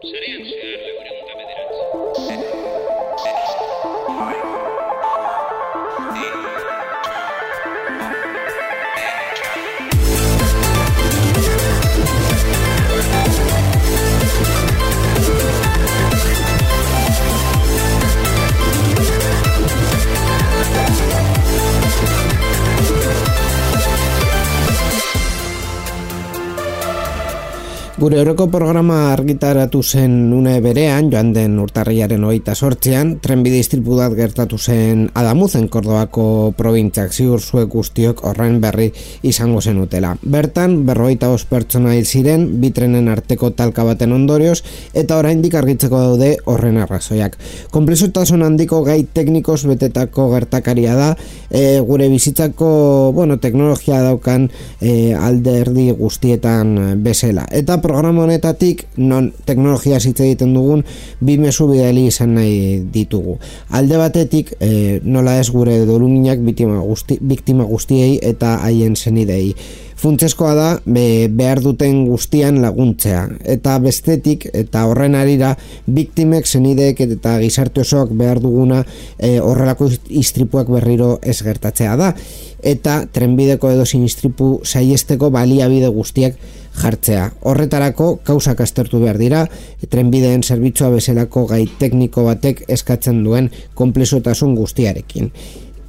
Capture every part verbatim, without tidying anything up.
Sarean zehar laurehun eta bederatzi. Gure aurreko programa argitaratu zen une berean, joan den urtarrilaren hogeita zortzian, trenbide istripu bat gertatu zen Adamuzen, Kordobako probintziak, ziur zuek guztiok horren berri izango zenutela. Bertan, berrogeita bost pertsona hil ziren, bi trenen arteko talka baten ondorioz, eta oraindik argitzeko daude horren arrazoiak. Konplexutasun handiko gai teknikos betetako gertakaria da, e, gure bizitzako, bueno, teknologia daukan e, alderdi guztietan bezala. Eta programa honetatik, non teknologia hitz egiten dugun, bi mezu bidali izan nahi ditugu. Alde batetik, e, nola ez gure doluminak biktima, guzti, biktima guztiei eta haien zenidei. Funtsezkoa da be, behar duten guztian laguntzea. Eta bestetik, eta horren arira, biktimek, zenideek eta gizarte osoak behar duguna e, horrelako istripuak berriro ez gertatzea da. Eta trenbideko edozein istripu saihesteko baliabide guztiak jartzea. Horretarako kausak aztertu behar dira, trenbideen zerbitzua bezalako gai tekniko batek eskatzen duen konplexotasun guztiarekin.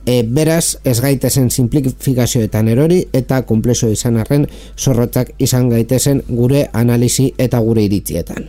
E, beraz, ez gaitezen simplifikazioetan erori eta konplexo izan arren zorrotzak izan gaitezen gure analisi eta gure iritzietan.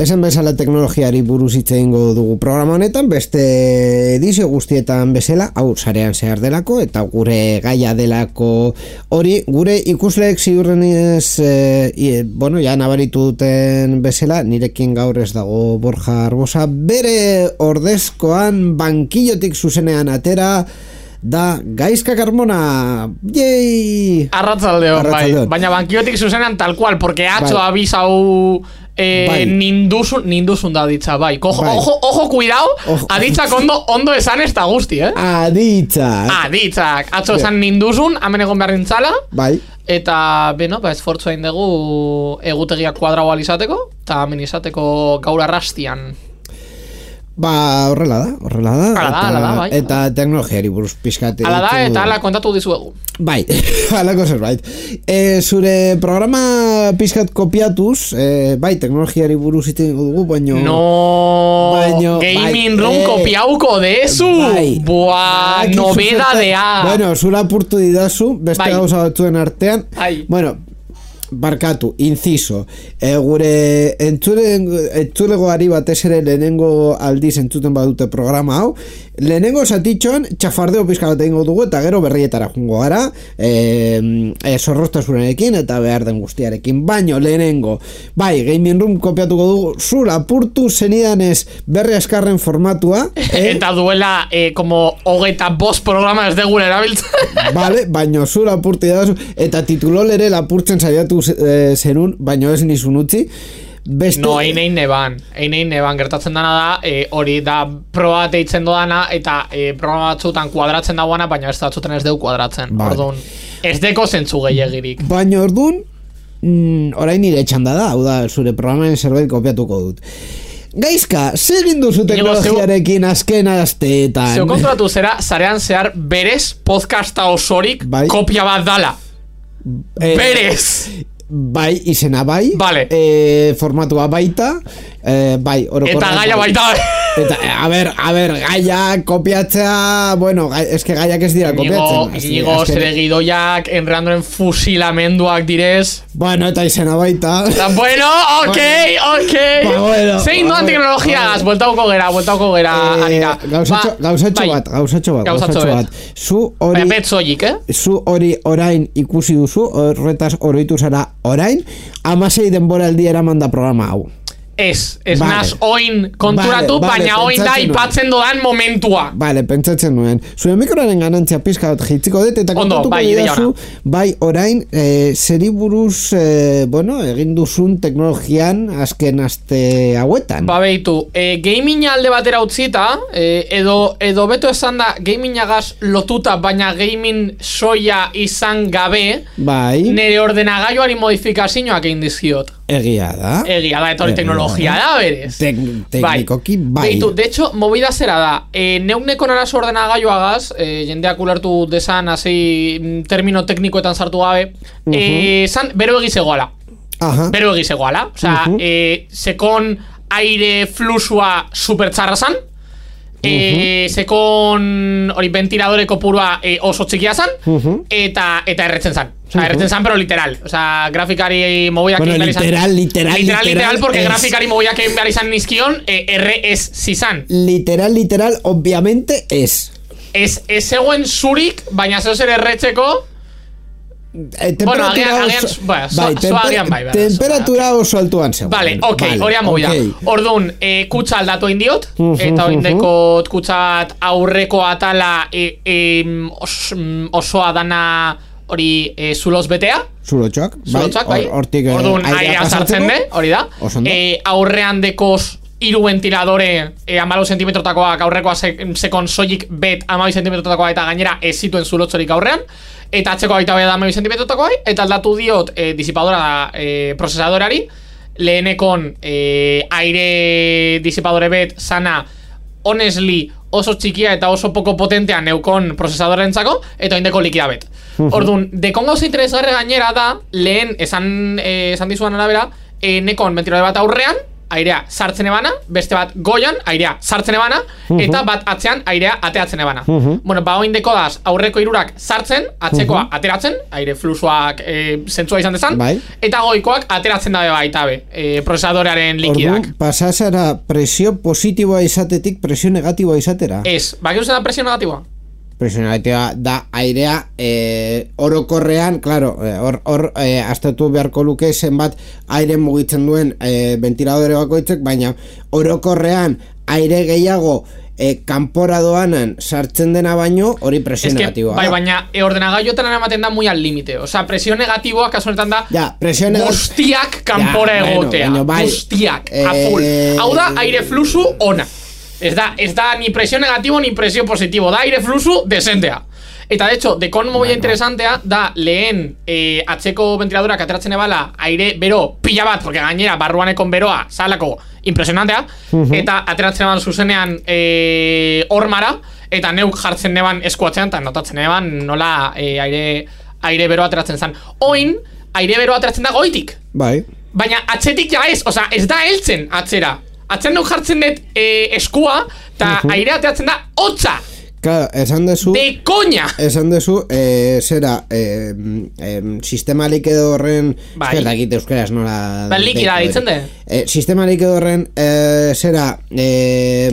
Esan bezala teknologiari buruz hitz egingo dugu programa honetan, beste edizio guztietan bezala, hau sarean zehar delako eta gure gaia delako hori, gure ikusleek ziurrenez, e, bueno, ja nabaritu duten bezala, nirekin gaur ez dago Borja Arbosa, bere ordezkoan bankillotik zuzenean atera, da Gaizka Carmona. Yei! Arratzaldeon, bai. Baina bankiotik zuzenean tal cual, porque atzo bai. Abisau eh, bai. ninduzun, ninduzun da ditza, bai. Ojo, bai. ojo, ojo, cuidado, ojo. Aditzak ondo, ondo esan ez da guzti, eh? Aditzak. Aditzak. Atzo esan ninduzun, hemen egon behar nintzala. Bai. Eta, beno, ba, esfortzu hain dugu egutegiak kuadrau alizateko, eta hemen izateko gaur arrastian. Ba, horrela da, horrela da. Ala da, ala da, bai. Eta teknologiari buruz pizkate. Ala da, eta ala kontatu dizuegu. Bai, alako zerbait. E, zure programa pizkat kopiatuz, e, bai, teknologiari buruz iten dugu, baino... No, baino, gaming bai, room e, kopiauko dezu. Bai. Buah, bai, nobedadea. Bueno, zura apurtu didazu, beste bai. Gauza batzuen artean. Bai. Bueno, barkatu, inciso, e, gure entzulegoari batez ere lehenengo aldiz entzuten badute programa hau, lehenengo zatitxoan txafardeo pizka bat egingo dugu eta gero berrietara jungo gara, e, e, zorroztasunarekin eta behar den guztiarekin, baino lehenengo, bai, Gaming Room kopiatuko dugu, zura apurtu zenidanez berri askarren formatua, eh? Eta duela e, como hogeita bost programa ez degure erabiltzen. Vale, baino zura apurtu dazu, eta titulol ere lapurtzen saiatu zerun, baino ez nizun utzi. Beste... No, ein ein neban, ein ein neban gertatzen dana da, e, hori da proba deitzen doana eta e, programa batzutan kuadratzen dagoana, baina ez datzuten ez deu kuadratzen. Vale. Orduan, ez deko zentzu gehiagirik. Baina orduan, mm, orain nire txanda da, hau da, zure programaren zerbait kopiatuko dut. Gaizka, zer egin duzu teknologiarekin azken asteetan? Zeo konturatu zera, zarean zehar berez podcasta osorik bai. Kopia bat dala. Eh, berez! Bai, izena bai, vale. e, formatua baita, Eh, bai, orokorrean. Eta gaia baita. Eta, a ber, a ber, gaia kopiatzea, bueno, gai, eske gaiak ez dira kopiatzen. Inigo, zere gidoiak, enreandoren fusilamenduak direz. Bueno, eta izena baita. Ta, bueno, ok, ok. Ba, bueno. Zein doan teknologiagaz, bueltauko gera, bueltauko gera, eh, Arira. Gauzatxo, ba, gauzatxo bai. bat, gauzatxo bat, gauzatxo bat. Zu hori... Baina betzoik, eh? Zu hori orain ikusi duzu, horretaz oroitu zara orain, amasei denboraldi eraman da programa hau. Ez, ez vale. Naz oin konturatu, vale, vale, baina oin da ipatzen dodan momentua. Vale, pentsatzen nuen. Zuen mikroaren ganantzia pizka bat jitziko dut, eta kontatuko bai, didazu, bai orain, eh, zeri buruz, eh, bueno, egin duzun teknologian azken aste hauetan. Ba, behitu, eh, gaming alde batera utzita, eh, edo, edo beto esan da, gamingagaz lotuta, baina gaming soia izan gabe, bai. Nere ordenagailuari modifikazioak egin dizkiot. Egia da. Egia da, eta hori teknologia da, berez. Tek, teknikoki, bai. Beitu, de hecho, movida zera da. E, neuneko narazo ordenagailuagaz, e, jendeak ulertu desan, hasi termino teknikoetan sartu gabe, uh-huh. e, zan, bero egizegoala. Aha. Bero egizegoala. Osea, uh-huh. e, sekon aire flusua supertxarra zan, e, sekon hori ventiladore kopurua e, oso txikia zan, uh-huh. eta, eta erretzen zan. O sea, erretzen zan, pero literal. O sea, grafikari moviak bueno, literal, literal, literal, literal, literal, porque es... grafikari moviak egin behar izan nizkion, eh, erre ez zizan. Literal, literal, obviamente es. Ez, ez zegoen zurik, baina zeu zer erretzeko... Eh, bueno, agian, agian, bueno, bai, so, temper, agian bai, bai, temperatura so, oso altuan zegoen. Vale, ok, hori vale, movida. Okay. Orduan, eh, kutsa aldatu indiot, uh-huh, eta oindekot uh-huh. kutsa bat aurreko atala eh, eh, os, osoa dana... hori e, zuloz betea. Zulotxak, Zulotxak, bai. Hortik Orduan airea sartzen de, hori da. E, aurrean dekoz hiru ventiladore e, amalau sentimetrotakoak aurrekoa se, sekon soilik bet amabi sentimetrotakoa eta gainera ez zituen zulotxorik aurrean. Eta atzeko baita beda amabi sentimetrotakoa eta aldatu diot e, disipadora e, procesadorari. Lehenekon e, aire disipadore bet sana honestly oso txikia eta oso poco potentea neukon procesadorentzako eta oindeko likida bet. Orduan, dekon gauza interesgarri gainera da, lehen esan, eh, esan dizuan arabera, eh, nekon ventiladore bat aurrean, airea sartzen ebana, beste bat goian, airea sartzen ebana, eta bat atzean airea ateatzen ebana. Bueno, ba oin dekodaz aurreko hirurak sartzen, atzekoa ateratzen, aire fluxuak eh, zentzua izan dezan, bai. Eta goikoak ateratzen dabe baita be, eh, procesadorearen likidak. Orduan, pasazara presio positiboa izatetik presio negatiboa izatera? Ez, baki uzen da presio negatiboa? Presionalitatea da airea eh, orokorrean, claro, hor or, eh, aztertu beharko luke zenbat aire mugitzen duen eh, ventiladore bakoitzek, baina orokorrean aire gehiago eh, kanpora doanan sartzen dena baino hori presio negatiboa. Bai, baina e, ordenagailuetan ematen da muy al límite. O sea, presio negatiboa kasu honetan da ja, guztiak kanpora ja, egotea. Bueno, bai. Guztiak, eh, a full. Hau da aire fluxu ona. Ez da, ez da ni presio negatibo ni presio positibo, da aire fluxu desentea. Eta de hecho, dekon movida bueno. interesantea da lehen eh, atzeko ventiladorak ateratzen ebala aire bero pila bat, porque gainera barruanekon beroa salako impresionantea, uh-huh. eta ateratzen eban zuzenean eh, ormara, eta neuk jartzen neban eskuatzean, eta notatzen eban nola eh, aire, aire bero ateratzen zen. Oin, aire bero ateratzen da goitik. Bai. Baina atzetik ja ez, oza, ez da heltzen atzera. Atzen duk jartzen dut eh, eskua, eta uh-huh. aire ateratzen da hotza. Claro, esan dezu... De coña! Esan dezu, eh, zera, eh, eh, sistema likido horren... Bai. Ezkerda egite euskeraz nola... Ba, likida ditzen de? Eh, sistema likido horren, eh, zera, eh,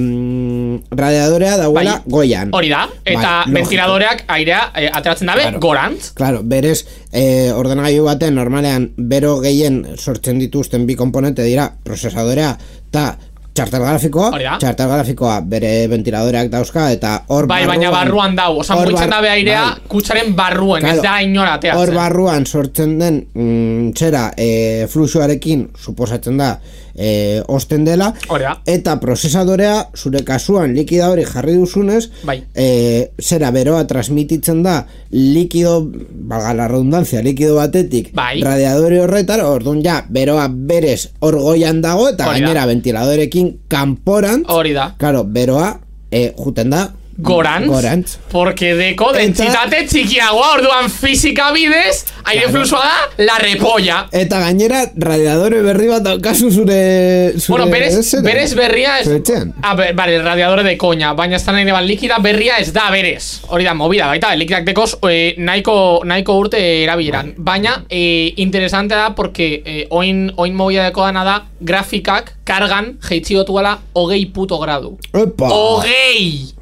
radiadorea dauela bai. Goian. Hori da, eta bai, ventiladoreak airea eh, ateratzen dabe claro. Gorantz. Claro, berez, eh, ordenagailu baten normalean bero gehien sortzen dituzten bi komponente dira procesadorea eta txartel grafikoa, txartel grafikoa bere ventiladoreak dauzka eta hor bai, barruan, baina barruan dau, oza, mugitzen dabe airea bai. Kutsaren barruan, claro, ez da inora ateatzen. Hor barruan sortzen den mm, txera e, fluxuarekin suposatzen da e, osten dela Orea. Eta prozesadorea zure kasuan likida hori jarri duzunez bai. e, zera beroa transmititzen da likido, valga la redundancia, likido batetik bai. Radiadore horretar, orduan ja beroa berez hor goian dago eta Orida. Gainera ventiladorekin kanporan, hori da. Claro, beroa e, juten da gorantz, gorantz. Porque deko dentsitate txikiagoa, orduan fizika bidez, aire claro. Fluxua da, la repolla. Eta gainera, radiadore berri bat daukazu zure... zure bueno, berez, esera. berez berria ez... Ah, vale, radiadore de coña, baina ez da nahi neban likida berria ez da berez. Hori da, movida, baita, likidak dekoz eh, nahiko, nahiko urte erabileran. Baina, eh, interesante da, porque eh, oin, oin movida deko dana da, grafikak, kargan, jeitzigotu gala, hogei puto gradu. Epa! Hogei!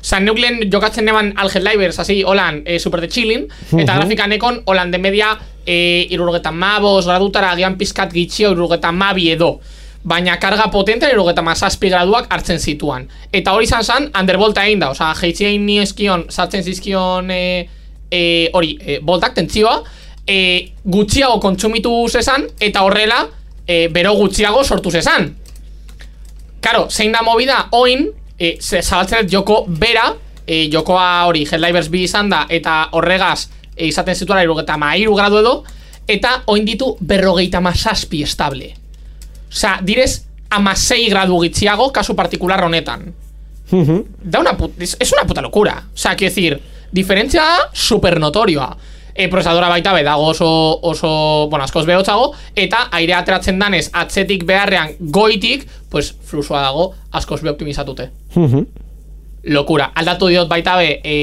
Osa, neuklen jokatzen neban Alget Livers, así, holan, eh, super de chilling, eta uh-huh. grafikanekon, holan de media, eh, irurgetan mabos, gradutara, agian pizkat gitxio, irurgetan mabi edo. Baina karga potente, irurgetan mazazpi graduak hartzen zituan. Eta hori izan zan, undervolta egin da, osa, jeitzein ni eskion, sartzen zizkion, eh, eh, hori, eh, voltak, tentzioa, eh, gutxiago kontsumitu zezan, eta horrela, eh, bero gutxiago sortu zezan. Karo, zein da movida, oin, E, zabaltzen joko bera, e, jokoa hori Helldivers bi izan da, eta horregaz e, izaten zituela irurogeta mairu gradu edo, eta oin ditu berrogeita mazazpi estable. Osea, direz amasei gradu gitziago, kasu partikular honetan. Uh-huh. Da una puta, es, es una puta locura. Osea, quiero decir, diferentzia super notorioa. E, prozesadora baita be dago oso, oso, bueno, askoz behotzago, eta aire ateratzen danez atzetik beharrean goitik, pues fluxua dago askoz be optimizatute. Uh-huh. Lokura. Aldatu diot baita be e,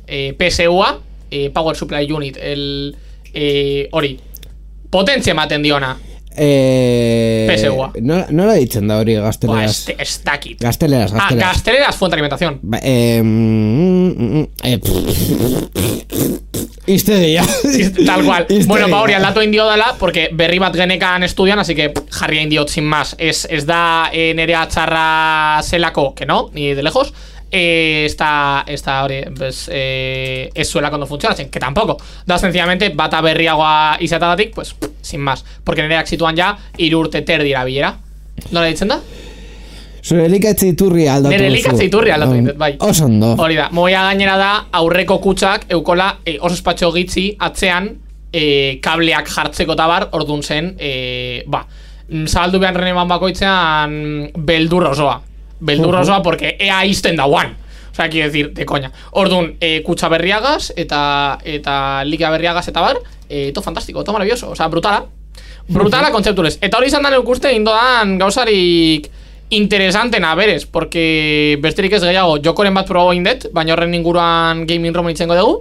e, P S U-a, e, Power Supply Unit, el e, hori, potentzia ematen diona. Eh, P S U-a. No, no la ditzen da hori gazteleraz. Ba, ez dakit. Gazteleraz, gazteleraz. Ah, gazteleraz fuente de alimentación. Ba, eh, mm, eh, Iste dia. Tal cual. Bueno, ba hori aldatu indio dela, porque berri bat genekan estudian, así que jarria indiot sin más. Ez, ez da eh, nerea txarra zelako, que no, ni de lejos. Eh, esta, esta hori, pues, eh, ez zuela cuando funciona, que tampoco. Da sencillamente bata berriagoa izatadatik, pues, sin más. Porque nereak situan ja irurte terdira bilera. Nola ditzen da? Zure elikatze iturri aldatu. Nere elikatze iturri aldatu um, bai. Oso ondo. Hori da, moia gainera da, aurreko kutsak eukola e, oso espatxo gitzi atzean e, kableak jartzeko tabar, ordun zen, e, ba, zabaldu behar reneman bakoitzean beldur osoa. Beldur osoa, uh-huh. porque ea izten dauan. O sea, quiero decir, de coña. Ordun, e, kutsa berriagaz, eta, eta likia berriagaz eta bar, e, to fantastiko, to maravilloso. O sea, brutala. Brutala uh-huh. kontzepturez. Eta hori izan da neukuste, indoan gauzarik interesantena, berez, porque besterik ez gehiago, jokoren bat probo indet, baina horren inguruan gaming room itzengo dugu,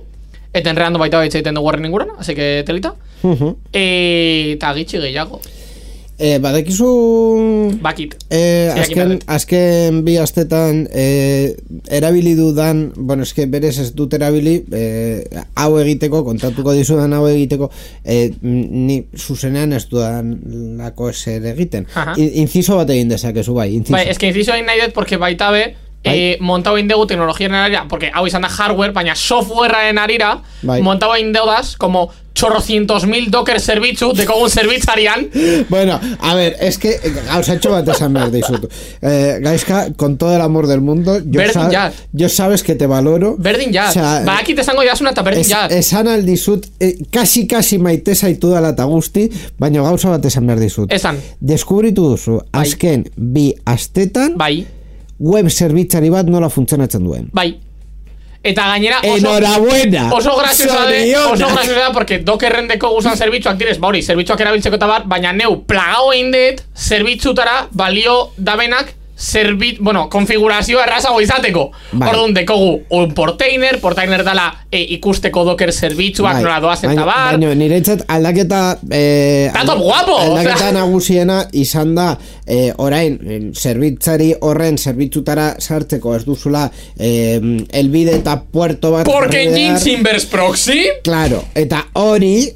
eta enreando baita baitza egiten dugu horren inguruan, así que telita. Uh-huh. E, eta gitxi gehiago. E, badekizu... Bakit. E, azken, azken bi astetan e, erabili dudan, bueno, eske berez ez dut erabili, e, hau egiteko, kontatuko dizudan hau egiteko, e, ni zuzenean ez dudan lako eser egiten. Inciso bat egin dezakezu, bai. Inciso. Bai, eske inciso egin nahi dut, porque baita be, eh, montau egin dugu teknologiaren arira, porque hau izan da hardware, baina softwarearen arira, bai. Montau egin deudaz, como chorrocientos mil docker zerbitzu dekogun zerbitzarian. Bueno, a ver, es que gauzatxo bat esan behar dizut. Eh, Gaizka, con todo el amor del mundo, yo, sab yo sabes que te valoro. Berdin jaz. O sea, ba, aquí te zango jasuna eta berdin jaz. Esan aldizut, eh, kasi kasi maite zaitu dala eta guzti, baina gauza bat esan behar dizut. Esan. Deskubritu duzu, bai. Azken bi astetan, bai. Web zerbitzari bat nola funtzionatzen duen. Bai. Eta gainera oso, enhorabuena. Oso graziosa de, oso graziosa da, porque Dockerren deko guzan zerbitzuak direz, ba hori, zerbitzuak erabiltzeko eta bat, baina neu plagau egin dut zerbitzutara balio dabenak zerbit, bueno, konfigurazioa errazago izateko. Bai. Orduan dekogu un portainer, portainer dala e, ikusteko Docker zerbitzuak bai. Nola doazen eta bar. Baina niretzat aldaketa eh, Tato guapo! Aldaketa o sea. Nagusiena izan da eh, orain, zerbitzari horren zerbitzutara sartzeko ez duzula eh, elbide eta puerto bat. Porque Jinx inverse proxy? Claro, eta hori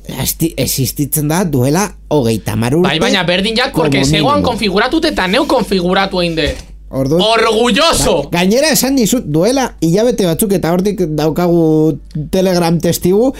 existitzen da duela hogeita hamar urte. Bai, baina berdin jak, porque zegoan konfiguratut eta neu konfiguratu egin dut. Orduan, orgulloso. Ba, gainera esan dizut duela hilabete batzuk eta hortik daukagu Telegram testigu,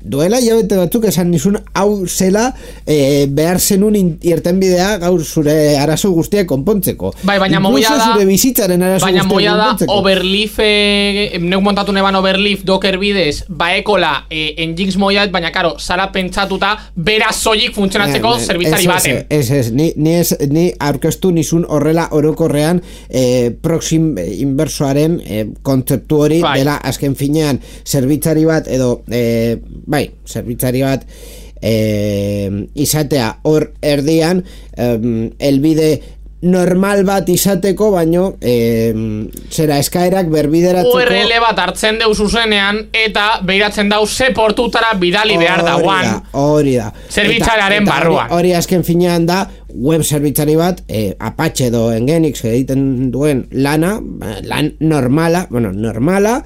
duela hilabete batzuk esan dizun hau zela e, behar zenun irtenbidea gaur zure arazo guztiak konpontzeko. Bai, baina moia da, zure bizitzaren arazo baina moia da Overleaf, e, neuk montatu neban Overleaf Docker bidez, baekola e, en Jinx moia, baina karo, zara pentsatuta bera soilik funtzionatzeko eh, zerbitzari baten. Ez, ez, ni, ni, ez, ni aurkeztu nizun horrela orokorrean e, proxim inversoaren e, kontzeptu hori bai. Dela azken finean zerbitzari bat edo e, bai, zerbitzari bat e, izatea hor erdian e, elbide normal bat izateko, baino eh, zera eskaerak berbideratzeko U R L bat hartzen deus zuzenean eta behiratzen dau ze portutara bidali behar dauan hori da zerbitzariaren barruan hori azken finean da web zerbitzari bat eh, Apache edo Nginx egiten duen lana lan normala, bueno, normala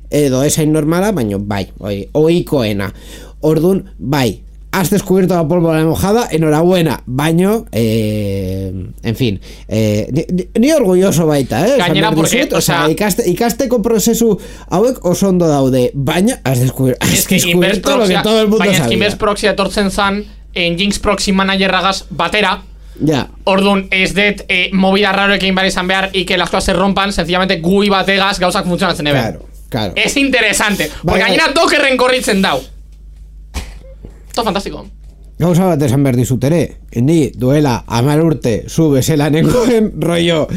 edo esain normala, baino bai ohikoena, ordun bai has descubierto la pólvora mojada, enhorabuena, baño, eh, en fin, eh, ni, ni orgulloso baita, eh? Gainera, porque, o sea, ikaste, ikasteko prozesu hauek oso ondo daude, baina has descubierto, has descubierto lo que todo el mundo baina sabía. Baina Inverse Proxy etortzen zan, en Jinx Proxy Managerragaz batera, ja. Ordun, ez det eh, movida raroekin behar izan behar y que las cosas se rompan, sencillamente gui bategaz gauzak funtzionatzen eben. Claro, claro. Es interesante, porque gainera Dockerren korritzen dau. Todo fantástico. Gauza bat esan behar dizut ere, ni duela hamar urte zu bezala nengoen rollo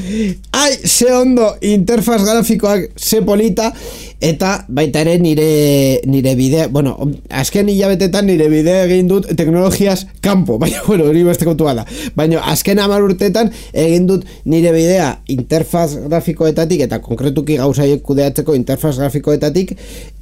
ai, ze ondo interfaz grafikoak ze polita eta baita ere nire nire bidea, bueno, azken hilabetetan nire bidea egin dut teknologiaz kanpo, baina bueno, hori beste kontua da, baina azken hamar urtetan egin dut nire bidea interfaz grafikoetatik eta konkretuki gauzaiek kudeatzeko interfaz grafikoetatik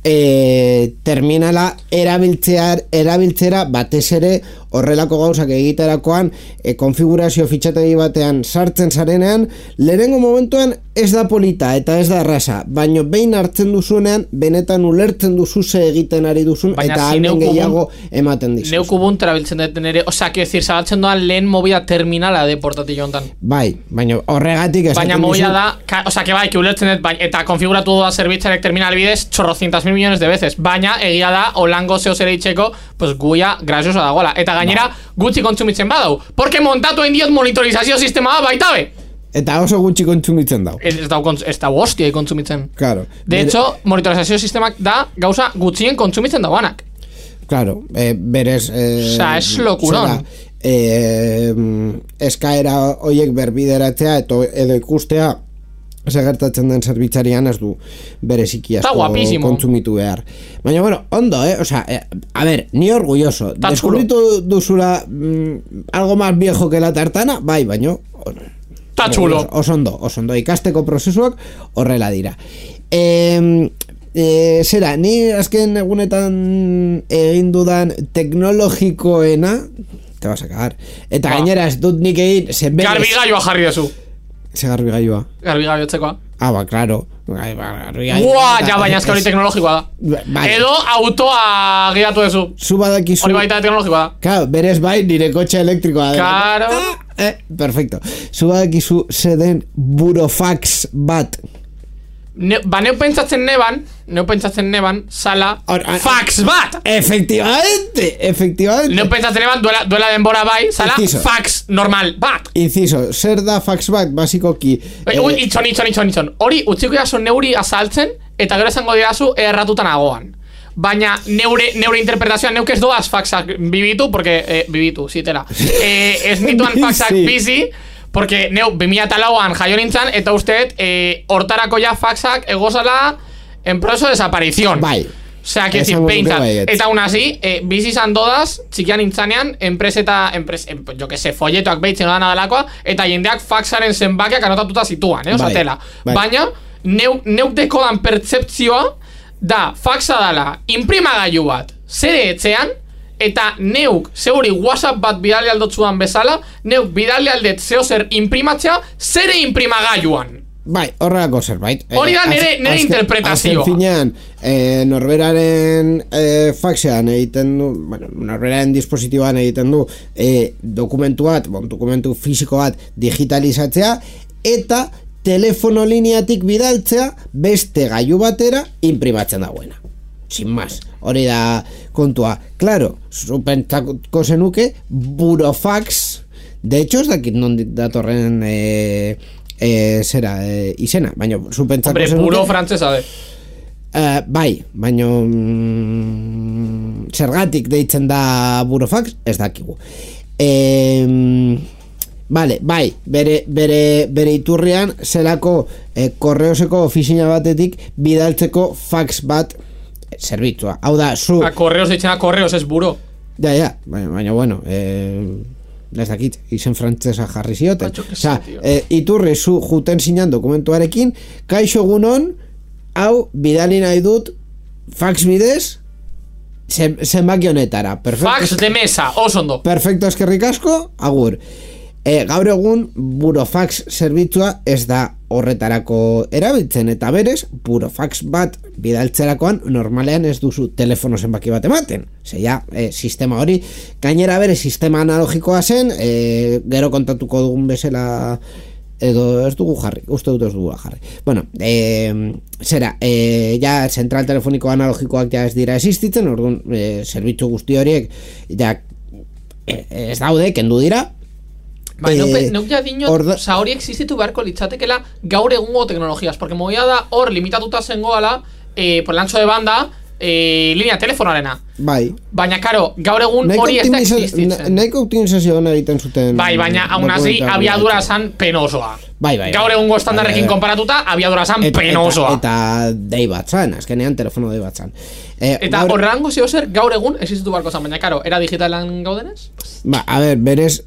e, terminala erabiltzear, erabiltzera batez ere horrelako gauzak egiterakoan e, konfigurazio fitxategi batean sartzen zarenean lehenengo momentuan ez da polita eta ez da erraza, baino behin hartzen duzunean benetan ulertzen duzu ze egiten ari duzun baina eta almen gehiago ematen dizu. Neukubun trabiltzen deten ere, osea, que decir, zabaltzen doan lehen movida terminala de portatillo hontan. Bai, baina horregatik esaten baina movida da, ka, osea, que bai, que ulertzen dut, bai, eta konfiguratu doa zerbitzarek terminal bidez chorrocientas mil millones de veces, baina egia da, olango zeo zere itxeko, pues guia graziosa dagoela, eta gainera gutxi kontsumitzen badau, porque montatu indiot monitorizazio sistema da baita be. Eta oso gutxi kontsumitzen dau. Ez da, ez da hostia kontsumitzen. Claro. De hecho, monitorizazio sistemak da gauza gutxien kontsumitzen dauanak. Claro, eh, berez... Eh, Osa, es lokuron. Eh, eskaera hoiek berbideratzea eto, edo ikustea segertatzen den zerbitzarian ez du bereziki asko kontsumitu behar. Baina, bueno, ondo, eh? O sea, eh, a ver, ni orgulloso. Deskubritu duzula mm, algo más viejo que la tartana, bai, baino... Ta chulo. Osondo, osondo, ikasteko prozesuak horrela dira. Eh, eh, zera, ni azken egunetan egin dudan teknologikoena, te vas a cagar. Eta ba. Gainera ez dut nik egin... Garbigailua jarri dezu. Ze garbigailua? Garbigailua txekoa. Ah, ba, claro. Buah, ja, baina ez hori teknologikoa da. Vale. Edo autoa gidatu dezu. Zu badakizu... Hori baita teknologikoa da. Claro, berez bai, nire kotxe elektrikoa da. Claro. Ah, eh, perfecto. Zu badakizu zeden burofax bat. Ne, ba, neu pentsatzen neban, neu pentsatzen neban, sala, or, or, fax bat! Efectivamente, efectivamente. Neu pentsatzen neban, duela, duela denbora bai, sala, Inciso. Fax normal bat! Inciso, zer da fax bat, basikoki... Eh, ui, itxon, itxon, itxon, itxon. Hori, utziko jaso neuri azaltzen, eta gero esango dirazu erratutan agoan. Baina neure, neure interpretazioan neuk ez doaz faxak bibitu, porque, eh, bibitu, zitela. Eh, ez nituan faxak bizi, porque neu bi mila lauan jaio nintzen, eta usteet eh, hortarako ja faxak egozala en proceso de desaparición. Bai. Osea, que decir, peintzat. Eta aún así, eh, bizi izan dodaz, txikian nintzanean, enpreseta, enpres, en, jo que se, folletoak behitzen da nadalakoa, eta jendeak faxaren zenbakiak anotatuta zituan, eh, osatela. Bai. Baina, neuk, neuk dekodan pertzeptzioa, da, faxa dala, imprimagailu bat, zere etxean, eta neuk, zeuri WhatsApp bat bidali aldotzuan bezala, neuk bidali aldet zeo zer imprimatzea, zere imprimagailuan. Bai, horrelako zerbait. Hori da nere, nere azken, interpretazioa. Azken finean, eh, norberaren eh, faxean egiten du, bueno, norberaren dispositiboan egiten du eh, dokumentu bat, bon, dokumentu fisiko bat digitalizatzea, eta telefono lineatik bidaltzea beste gailu batera imprimatzen dagoena. Sin más, hori da kontua. Claro, zupentzako zenuke burofax, de hecho ez dakit non datorren eh, eh, zera eh, izena, baina zupentzako zenuke... Hombre, buro frantzesa de... Uh, bai, baina mm, zergatik deitzen da burofax, ez dakigu. Eh, Vale, bai, bere, bere, bere iturrian zelako eh, korreoseko ofizina batetik bidaltzeko fax bat zerbitzua. Hau da, zu... A korreos ditzen a korreos ez buro. Ja, ja, baina, baina bueno, eh, ez dakit, izen frantzesa jarri zioten. Osa, eh, iturri zu juten zinan dokumentuarekin, kaixo egunon, hau bidali nahi dut fax bidez zenbaki honetara. Fax de mesa, oso ondo. Perfecto, eskerrik asko, agur. E, gaur egun burofax zerbitzua ez da horretarako erabiltzen, eta berez burofax bat bidaltzerakoan normalean ez duzu telefono zenbaki bat ematen. Zeia, e, sistema hori gainera bere sistema analogikoa zen, e, gero kontatuko dugun bezala edo ez dugu jarri, uste dut ez dugu jarri. Bueno, e, zera, e, ja zentral telefoniko analogikoak ja ez dira existitzen, orduan e, zerbitzu guzti horiek ja e, ez daude, kendu dira. Bai, eh, neuk ja dinot, orda... oza, hori existitu beharko litzatekela gaur egungo teknologiaz, porque movia da hor limitatuta zengoala eh, por el ancho de banda eh, linea telefonarena. Bai. Baina, karo, gaur egun hori ez da existitzen. Nahiko optimizazio hona egiten zuten. Bai, baina, aún así, abiadura zan penosoa. Bai, bai. Gaur egungo estandarrekin konparatuta, abiadura zan penosoa. Eta, eta dei bat zan, azkenean telefono dei bat zan. Eh, eta gaur... horrango zio zer, gaur egun existitu barko zan, baina, karo, era digitalan gaudenez? Ba, a ver, berez,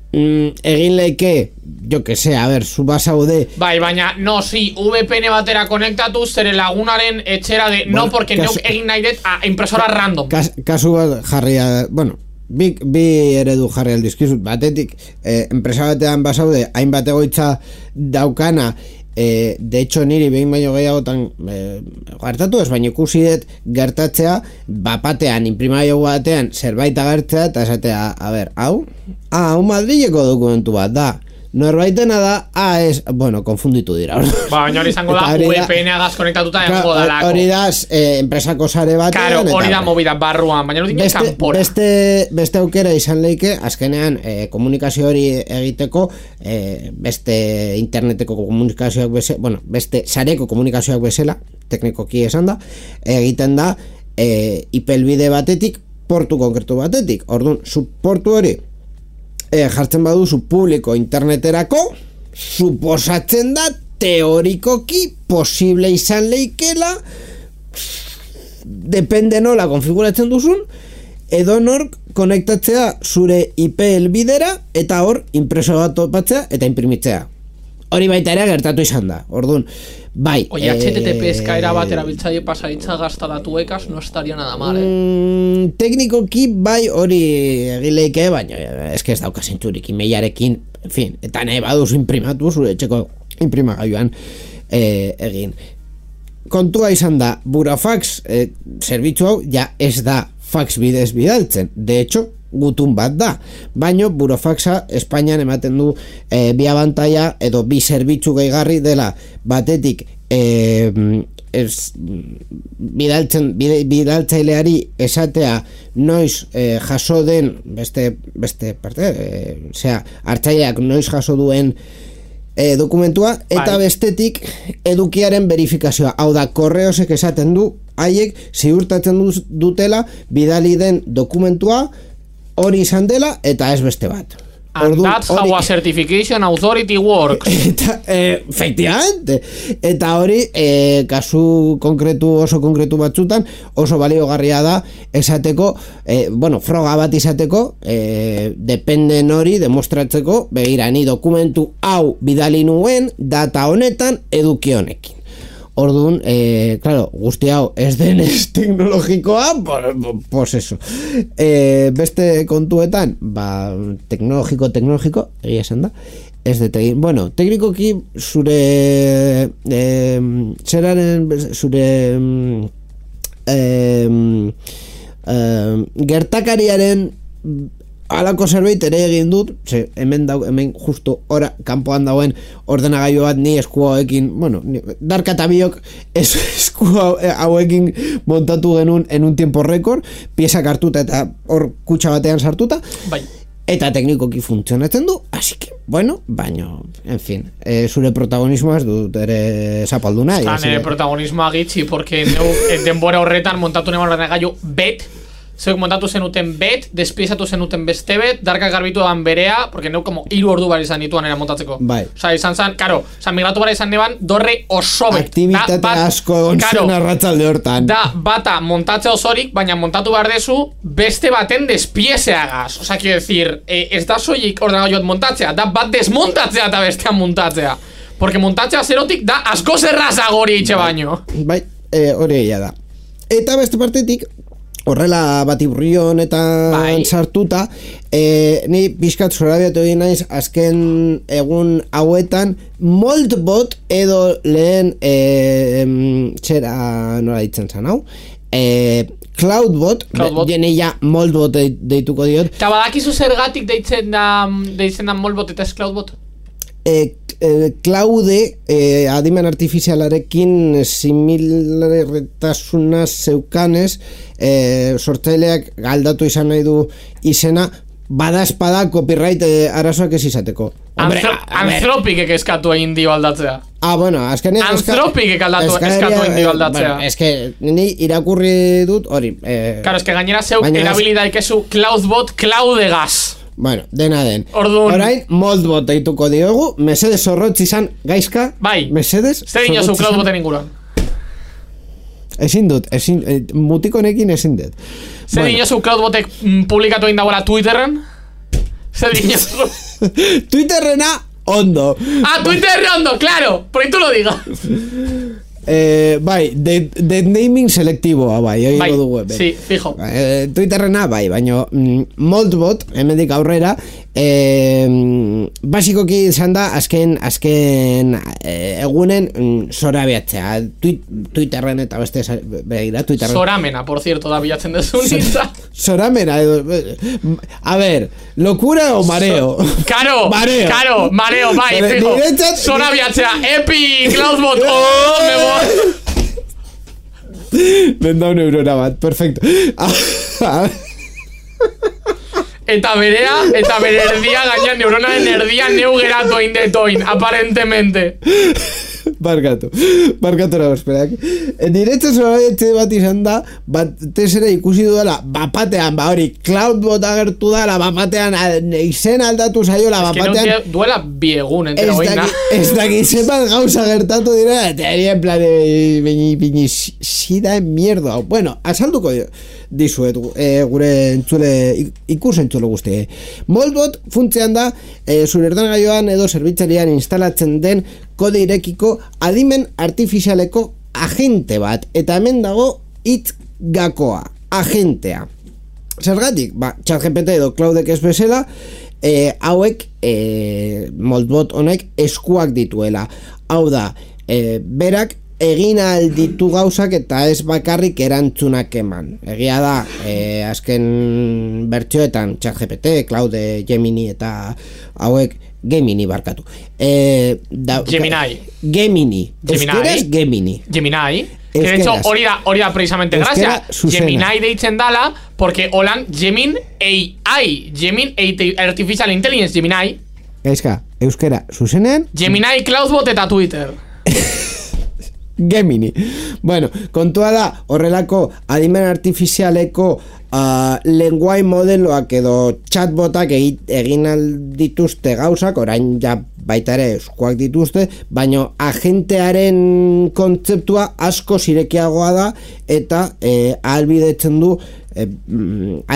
Mm, egin leike, jo que sé, a ver, zu basaude. Bai, baina, no, si, V P N batera konektatu zere lagunaren etxera de, bueno, no, porque neuk egin nahi dut a impresora random. Kas, kasu bat jarria, bueno, bi, bi eredu jarri aldizkizut, batetik, eh, enpresa batean basaude, hainbat egoitza daukana, eh, de hecho niri behin baino gehiagotan eh, gertatu ez, baina ikusi dut gertatzea, bapatean, inprimaio batean, zerbait agertzea, eta esatea, a ber, hau? Ah, hau Madrileko dokumentu bat da. Norbaitena da, ah, ez, bueno, konfunditu dira. Ba, baina hori izango da, V P N agaz konektatuta egongo dalako. Hori da, eh, enpresako sare batean. Karo, hori da movida barruan, baina hori dine kanpora. Beste, beste aukera izan leike, azkenean, eh, komunikazio hori egiteko, eh, beste interneteko komunikazioak bezala, bueno, beste sareko komunikazioak bezala, teknikoki esan da, egiten da, eh, I P helbide batetik, portu konkretu batetik. Orduan, zu portu hori, E, jartzen baduzu publiko interneterako, suposatzen da teorikoki posible izan leikela, depende nola konfiguratzen duzun, edo nork konektatzea zure I P helbidera eta hor impreso bat topatzea eta imprimitzea. Hori baita ere gertatu izan da. Orduan, bai. Oye, eh, H T T P eskaera bat erabiltzaile pasaritza gasta datuekaz no estaría nada mal, eh? Mm, teknikoki bai hori egileike, baina eske ez dauka zentzurik imeiarekin, en fin, eta nahi baduzu imprimatu zure etxeko imprimagailuan eh, egin. Kontua izan da, burofax eh, zerbitzu hau ja ez da fax bidez bidaltzen. De hecho, gutun bat da, baino burofaxa Espainian ematen du e, bi abantaila edo bi zerbitzu gehigarri dela, batetik e, ez, bidaltzen bide, bidaltzaileari esatea noiz e, jaso den beste, beste parte e, osea, hartzaileak noiz jaso duen e, dokumentua, eta bai, bestetik edukiaren verifikazioa, hau da korreosek esaten du haiek ziurtatzen dutela bidali den dokumentua hori izan dela eta ez beste bat. And Ordu, that's how a certification authority works. Eta, eh, efectivamente. Eta hori, eh, kasu konkretu, oso konkretu batzutan, oso baliogarria da esateko, eh, bueno, froga bat izateko, eh, dependen hori demostratzeko, begira, ni dokumentu hau bidali nuen data honetan eduki honekin. Orduan, eh, claro, guzti hau ez denez teknologikoa, pues eso. Eh, beste kontuetan, ba, teknologiko, teknologiko, egia esan da, ez de tegin. Bueno, teknikoki zure, eh, zeraren, zure, eh, eh, gertakariaren alako zerbait ere egin dut, ze, hemen, dau, hemen justo ora kanpoan dauen ordenagailu bat ni esku hauekin, bueno, Darka eta biok es, esku hauekin montatu genuen en un tiempo récord, piezak hartuta eta hor kutxa batean sartuta, bai, eta teknikoki funtzionatzen du, así que, bueno, baino, en fin, eh, zure protagonismoa ez dut ere zapaldu nahi. Zan, ere protagonismoa gitxi, porque neu denbora horretan montatu neman ordenagailu bet, zeuk montatu zenuten bet, despiezatu zenuten beste bet, darka garbitu eban berea, porque neu como hiru ordu bar izan dituan era montatzeko. Bai. Osa, izan zan, karo, osa, migratu bara izan neban, dorre oso bet. Aktivitate da, asko egon zen arratsalde hortan. Da, bata montatze osorik, baina montatu behar dezu, beste baten despiezeagaz. Osa, quiero decir, eh, ez da soilik ordenagailuat montatzea, da bat desmontatzea eta bestean montatzea. Porque montatzea zerotik da asko zerrazagori itxe baino. Bai, eh, hori egia da. Eta beste partetik, horrela batiburrion eta bai. Sartuta, e, ni pixkat zorabiatu egin naiz azken egun hauetan Moldbot edo lehen e, txera nola ditzen zan hau e, Cloudbot, Cloudbot. Jene ja Moldbot deituko diot. Eta badakizu zergatik deitzen da, deitzen da Moldbot eta ez Cloudbot? E, e, Claude e, adimen artifizialarekin similartasuna zeukanez e, sortzaileak galdatu izan nahi du izena bada espada copyright e, arazoak ez izateko. Anthropikek eskatu egin dio aldatzea. Ah, bueno, azkenean Anthropikek aldatu eskatu egin dio aldatzea. Bueno, eske ni irakurri dut hori eh, Claro, eske gainera zeu erabilidaik ezu Cloudbot Claudegaz. Bueno, dena den. Orduan. Orain, Moldbot deituko diogu. Mesedes zorrotz izan gaizka. Bai. Mesedes zer dinozu Cloudboten inguruan. Ezin dut, ezin, eh, mutikonekin ezin dut. Zer bueno. Dinozu Cloudbotek mm, publikatu egin dagoela Twitterren? Zer dinozu? Twitterrena ondo. Ah, Twitterrena ondo, claro. Por ahí tú lo digas. Eh, bai, de, de naming selektiboa bai, bai, dugu, sí, fijo. Eh, Twitterrena bai, baina mm, Moldbot, hemendik aurrera, eh, basikoki izan da azken azken eh, egunen mm, zorabiatzea. Twi- Twitterren eta beste begira, Twitterren. Zoramena, por cierto, da bilatzen dezu nintza. Zoramena, a ver, locura o mareo? So, karo, mareo. Karo, mareo, bai, fijo. Zorabiatzea, epic, Cloudbot, oh, me voy. Benda un neurona bat, perfecto. Eta berea, eta bere erdia gaina neuronaren erdia neu geratu egin detoin, aparentemente. Barkatu, barkatu nago, esperak. Diretzen zorabietze bat izan da, bat tesera ikusi dudala, bapatean, ba hori, Cloudbot agertu da, la bapatean, izen aldatu zaiola, bapatean. Ez que duela biegun, entera goina. Ez daki zepat gauza gertatu dira, eta eri en plan, bini, bini, sida en mierda. Bueno, asalduko dizuet, e, gure entzule, ikus entzule guzti. Moldbot funtzean da, e, zure ordenagailuan edo zerbitzarian instalatzen den kode irekiko adimen artifizialeko agente bat, eta hemen dago hitz gakoa, agentea. Zergatik? Ba, ChatGPT edo Claudek ez bezala, e, hauek e, Moldbot honek eskuak dituela. Hau da, e, berak egin alditu gauzak eta ez bakarrik erantzunak eman. Egia da, e, azken bertsioetan ChatGPT, Claude, Gemini eta hauek Gemini barkatu. Eh, da, Gemini. Gemini. Euskaraz Gemini. Gemini. Que de hecho, hori da, hori da precisamente gracia. Gemini deitzen dala, porque holan Gemin A I. Gemin Artificial Intelligence, Gemini. Gaizka, euskera, zuzenean? Gemini, Cloudbot eta Twitter. Gemini. Bueno, kontua da, horrelako adimen artifizialeko Uh, lenguai modeloak edo chatbotak egin dituzte gauzak, orain ja baita ere eskuak dituzte, baina agentearen kontzeptua asko zirekiagoa da eta eh, ahalbidetzen du eh,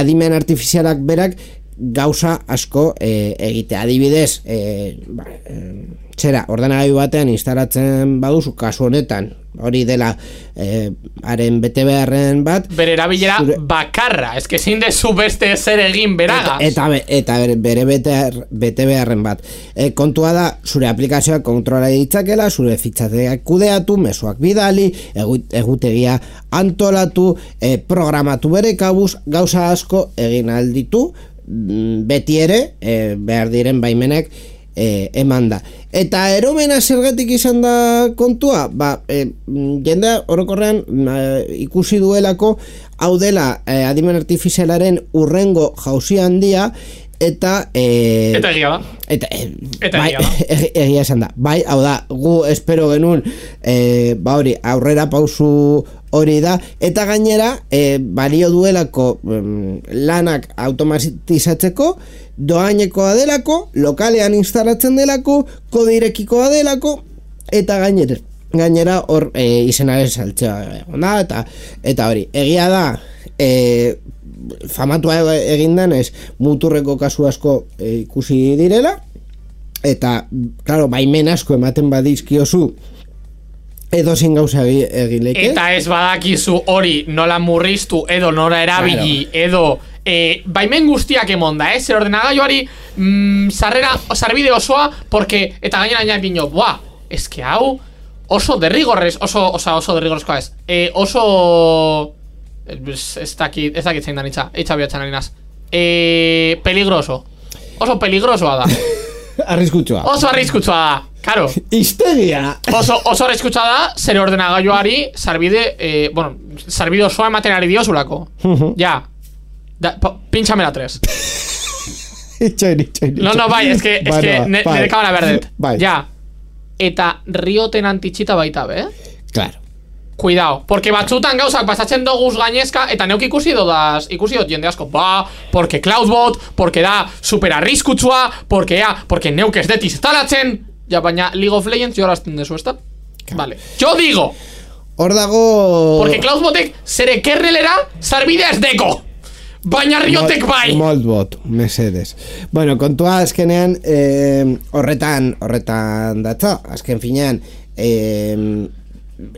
adimen artifizialak berak gauza asko eh, egite. Adibidez, eh, ba, eh, txera, ordenagailu batean instalatzen baduzu, kasu honetan, hori dela eh, haren bete beharren bat, bere erabilera zure... bakarra, ez que zein dezu beste zer egin beragaz. Eta, eta, eta bere bete, bete beharren bat. E, kontua da, zure aplikazioak kontrola ditzakela, zure fitxateak kudeatu, mezuak bidali, egutegia antolatu, e, programatu bere kabuz, gauza asko egin alditu, beti ere, e, behar diren baimenak e, eman da. Eta eromena zergatik izan da kontua? Ba, e, jendea orokorrean e, ikusi duelako hau dela e, adimen artifizialaren urrengo jauzi handia, eta e, eta egia da eta, e, eta bai, egia da egia esan da bai, hau da, gu espero genuen e, ba hori, aurrera pausu hori da, eta gainera e, balio duelako em, lanak automatizatzeko, doainekoa delako, lokalean instalatzen delako, kodirekikoa delako, eta gainera gainera hor e, izenaren saltzea da, eta, eta hori, egia da e, famatua egin denez muturreko kasu asko e, ikusi direla, eta claro, baimen asko ematen badizkiozu edo zin gauza egin leke. Eta ez badakizu hori nola murriztu edo nola erabili, claro. Edo e, baimen guztiak emonda, eh? Zer ordenagailuari mm, sarrera, sarbide osoa, porque, eta gainera nahi dino, buah, eske hau oso derrigorrez, oso, oso, oso derrigorrezkoa ez, e, oso ez, ez dakit, ez dakit zein da nitza, eitza bihatzen harinaz, e, peligroso, oso peligrosoa da. Arriskutsua. Oso arriskutsua da, karo. Histeria. Oso, oso arriskutsua da, zere ordenagailuari sarbide, eh, bueno, sarbide osoa ematen ari diozulako. Ja. Da, po, pintxame la tres. Itxoin, itxoin. No, no, bai, eske, eske, Bueno, ne, bai. nire kamera berdet. Bai. Ja. Eta rioten antitxita baita, be? Claro. Cuidao, porque batzutan gauzak pasatzen doguz gainezka, eta neuk ikusi dodaz, ikusi dut jende asko, ba, porque Cloudbot, porque da super arriskutsua, porque ja, porque neuk ez det instalatzen, ja, baina League of Legends jorazten dezu, ezta? Vale, yo digo, hor dago... porque Cloudbotek zere kernelera sarbidea ez deko, baina riotek bai. Moldbot, mesedes. Bueno, kontua azkenean, eh, horretan, horretan datza, azken finean, eh,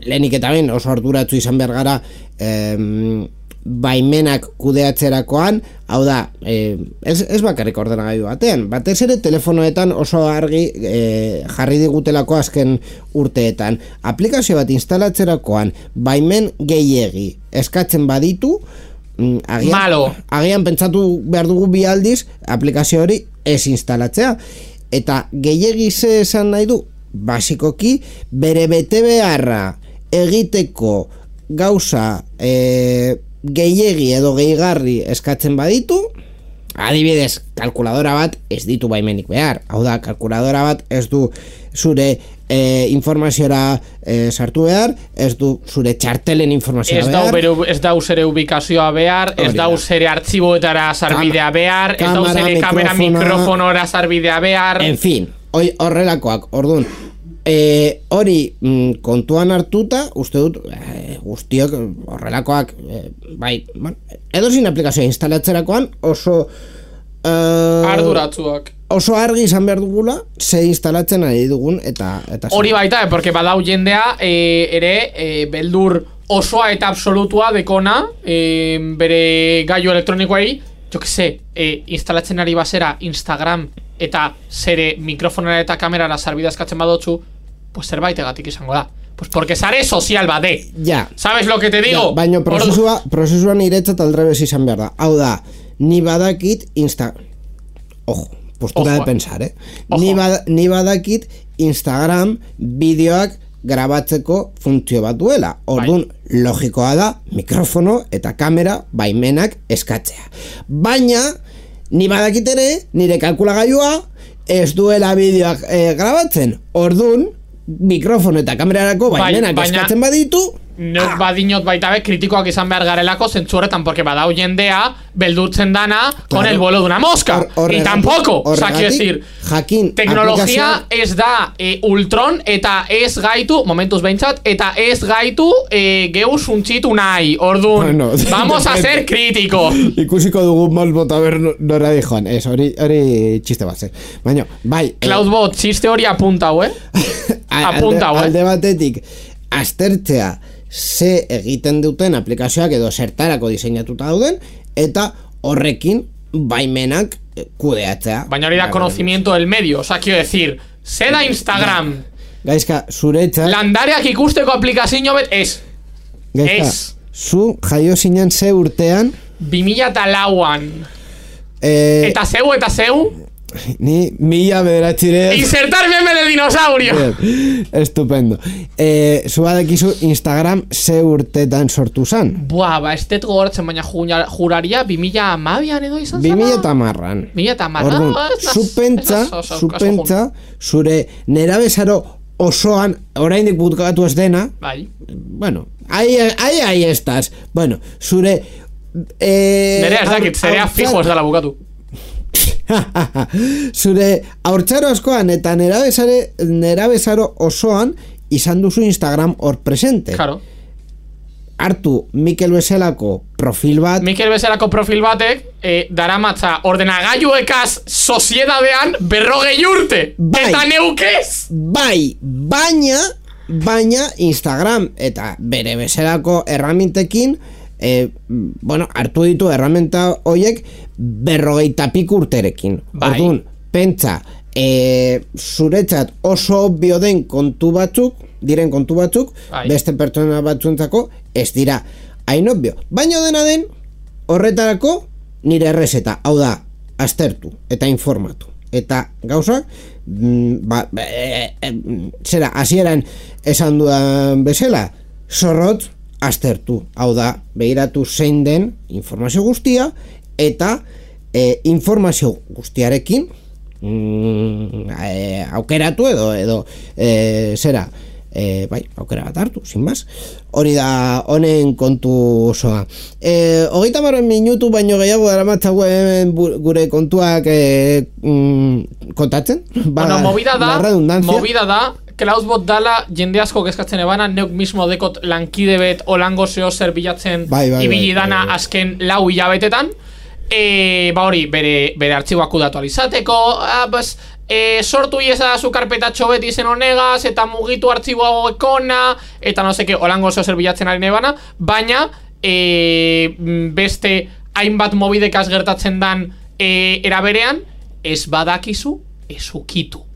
lehenik eta ben oso arduratzu izan behar gara em, baimenak kudeatzerakoan, hau da, eh, ez, ez bakarrik ordenagailu batean, batez ere telefonoetan oso argi eh, jarri digutelako azken urteetan. Aplikazio bat instalatzerakoan baimen gehiegi eskatzen baditu, mm, agian, Malo. agian pentsatu behar dugu bi aldiz aplikazio hori ez instalatzea, eta gehiegi ze esan nahi du, basikoki bere bete beharra egiteko gauza e, gehiegi edo gehigarri eskatzen baditu, adibidez, kalkuladora bat ez ditu baimenik behar, hau da, kalkuladora bat ez du zure e, informaziora e, sartu behar, ez du zure txartelen informazioa ez behar, dau, ez dau zere ubikazioa behar, ez Hori da. dau zere artxiboetara sarbidea behar, ez dau kamera, zere kamera mikrofona, mikrofonora sarbidea behar. en fin, hoi horrelakoak, ordun e, hori mm, kontuan hartuta, uste dut e, guztiok horrelakoak e, bai, bueno, edozin aplikazioa instalatzerakoan oso e, Arduratzuak. oso argi izan behar dugula ze instalatzen ari dugun eta, eta Hori baita, eh, porque badau jendea eh, ere eh, beldur osoa eta absolutua dekona eh, bere gailu elektronikoei, jo que se, eh, instalatzen ari basera Instagram eta zere mikrofonera eta kamerara sarbidea eskatzen badotzu, pues zerbaitegatik izango da. Pues porque sare sozial bade. ja, ¿Sabes lo que te digo? ja, baina prozesua, prozesua niretzat aldrebes izan behar da. Hau da, ni badakit Insta... Ojo, postura Ojo, de pensar, eh? Ojo. Ni, bada, ni badakit Instagram bideoak grabatzeko funtzio bat duela. Orduan, bai, logikoa da mikrofono eta kamera baimenak eskatzea. Baina, ni badakit ere, nire kalkulagailua ez duela bideoak eh, grabatzen. Orduan, mikrofono eta kamerarako baimenak Bai, baina- eskatzen baditu, Neuk badinot baita be kritikoak izan behar garelako zentzu horretan, porque badau jendea beldurtzen dana con Claro. el vuelo de una mosca. Hor- Y horregatik- tampoco, o sea, quiero horregatik, decir, jakin teknologia aplikazioa- ez da e, Ultron eta ez gaitu, momentuz behintzat, eta ez gaitu e, geu suntxitu nahi, orduan, Bueno, vamos a ser críticos. Ikusiko dugu Moldbot a ber nora di joan. Ez, hori, hori txiste bat zen. Baina, bai, eh, Cloudbot, txiste hori apuntau, eh? a- apunta, alde, eh? alde batetik aztertzea ze egiten duten aplikazioak edo zertarako diseinatuta dauden, eta horrekin baimenak eh, kudeatzea. Baina hori da conocimiento del medio, o sea, quiero decir, ze da Instagram, Gaizka, zuretzat, landareak ikusteko aplikazio bet, ez, gaizka, ez. zu jaio zinen ze urtean, bi mila eta lauan, eh, eta zeu, eta zeu, Ni mila bederatxire... Insertar meme de dinosaurio! Bien, estupendo. Eh, Zubadekizu Instagram ze urtetan sortu zan? Buah, ba, ez dut gogoratzen, baina juraria bimila amabian edo izan zan? Bimila tamarran. Bimila tamarran. Orduan, zupentza, zupentza, zure nerabezaro osoan, oraindik butkatu ez dena, bai. Bueno, ahí, ahí, ahí estás. Bueno, zure... Eh, Nerea ez dakit, zerea fijo ez dela bukatu. Zure haurtzaro askoan eta nerabezare, nerabezaro osoan izan duzu Instagram hor presente. Claro. Hartu Mikel bezalako profil bat. Mikel bezalako profil batek eh, daramatza ordenagailuekaz soziedadean berrogei urte. Bai. Eta neukez. Bai, baina, baina Instagram eta bere bezalako erramintekin eh, bueno, hartu ditu erramenta hoiek berrogeita pik urterekin. Bai. Orduan, pentsa, e, zuretzat oso obvio den kontu batzuk, diren kontu batzuk, bai. Beste pertsona batzuentzako ez dira hain obvio. Baina dena den, horretarako nire errezeta, hau da, aztertu eta informatu. Eta gauzak, mm, ba, e, e, zera, hasieran esan dudan bezala, zorrotz aztertu. Hau da, behiratu zein den informazio guztia, eta e, informazio guztiarekin mm, e, aukeratu edo edo e, zera e, bai, aukera bat hartu, sin más. Hori da honen kontu osoa. E, hogeita marren minutu baino gehiago daramatzagu hemen gure kontuak e, mm, kontatzen. Ba, bueno, movida da, movida da Klausbot dala jende asko kezkatzen ebana, neuk mismo dekot lankide bet olango zeo zer bilatzen bai, bai, ibili bai, dana bai, bai. azken lau hilabetetan. E, ba hori, bere, bere artxiboak kudatu alizateko, ah, pues, e, sortu ieza zu karpetatxo beti zen honegaz, eta mugitu artxiboa ekona, eta no seke, holango zeo zer bilatzen ari nebana, baina e, beste hainbat mobidekaz gertatzen dan e, eraberean, ez badakizu, ez ukitu.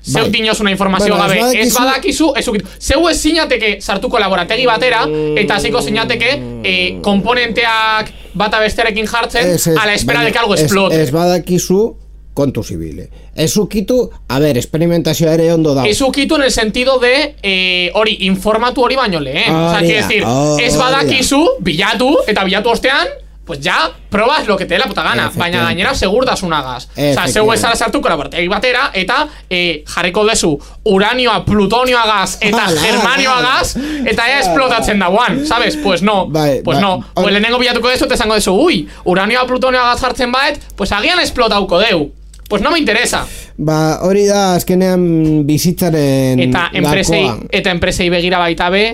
Zeu dinozuna informazio bueno, gabe, badakizu... ez badakizu, ez ukitu. Zeu ez zinateke sartuko laborategi batera, eta hasiko zinateke e, komponenteak bata bestearekin jartzen, es, es, a la espera baina, de que algo ez, explote. Ez badakizu kontu zibile. Ez ukitu, a ver, experimentazioa ere ondo dago. Ez ukitu en el sentido de eh, hori, informatu hori baino lehen. O sea, quiere decir, oh, ez badakizu, bilatu, eta bilatu ostean, pues ya, probas lo que te dé la puta gana. Baina gainera segurtasunagaz. O sea, zeu ezara sartuko laborategi batera, eta eh, jarriko dezu uranioa, plutonioagaz, eta germanioagaz, eta ea esplotatzen dauan, ¿sabes? Pues no, bai, pues bai, no. Pues or... lehenengo bilatuko dezu, te zango dezu, ui, uranioa, plutonioagaz jartzen baet, pues agian esplotauko deu. Pues no me interesa. Ba, hori da azkenean bizitzaren eta enpresei, gakoa. eta enpresei begira baita be,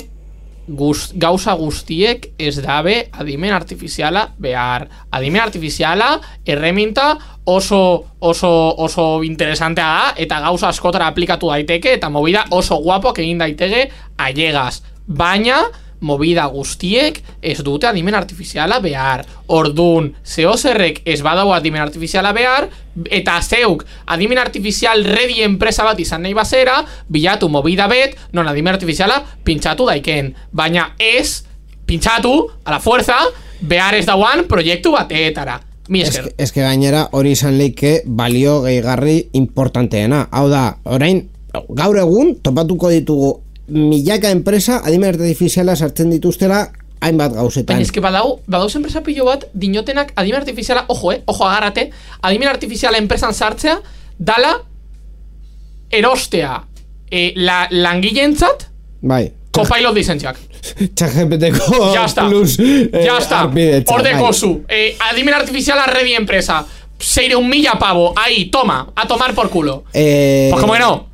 guz, gauza guztiek ez dabe adimen artifiziala behar. Adimen artifiziala erreminta oso oso oso interesantea da, eta gauza askotara aplikatu daiteke, eta movida oso guapoak egin daiteke ailegaz. Baina movida guztiek ez dute adimen artifiziala behar. Ordun, zehozerrek ez badau adimen artifiziala behar, eta zeuk adimen artifizial ready enpresa bat izan nahi bazera, bilatu movida bet, non adimen artifiziala pintxatu daiken. Baina ez pintxatu, a la fuerza, behar ez dauan proiektu bateetara. Mi esker. Ez que gainera hori izan leike balio gehigarri importanteena. Hau da, orain, gaur egun topatuko ditugu milaka enpresa adimen artifiziala sartzen dituztela hainbat gauzetan. Baina eske badau, badauz enpresa pilo bat dinotenak adimen artifiziala, ojo, eh, ojo agarrate, adimen artifiziala enpresan sartzea dala erostea eh, la, langileentzat bai. Copilot lizentziak. ChatGPTko ya está, plus eh, ya está. Ordeko zu, eh, adimen artifiziala ready enpresa, seireun mila pavo, ahí, toma, a tomar por culo. Eh, pues como que no.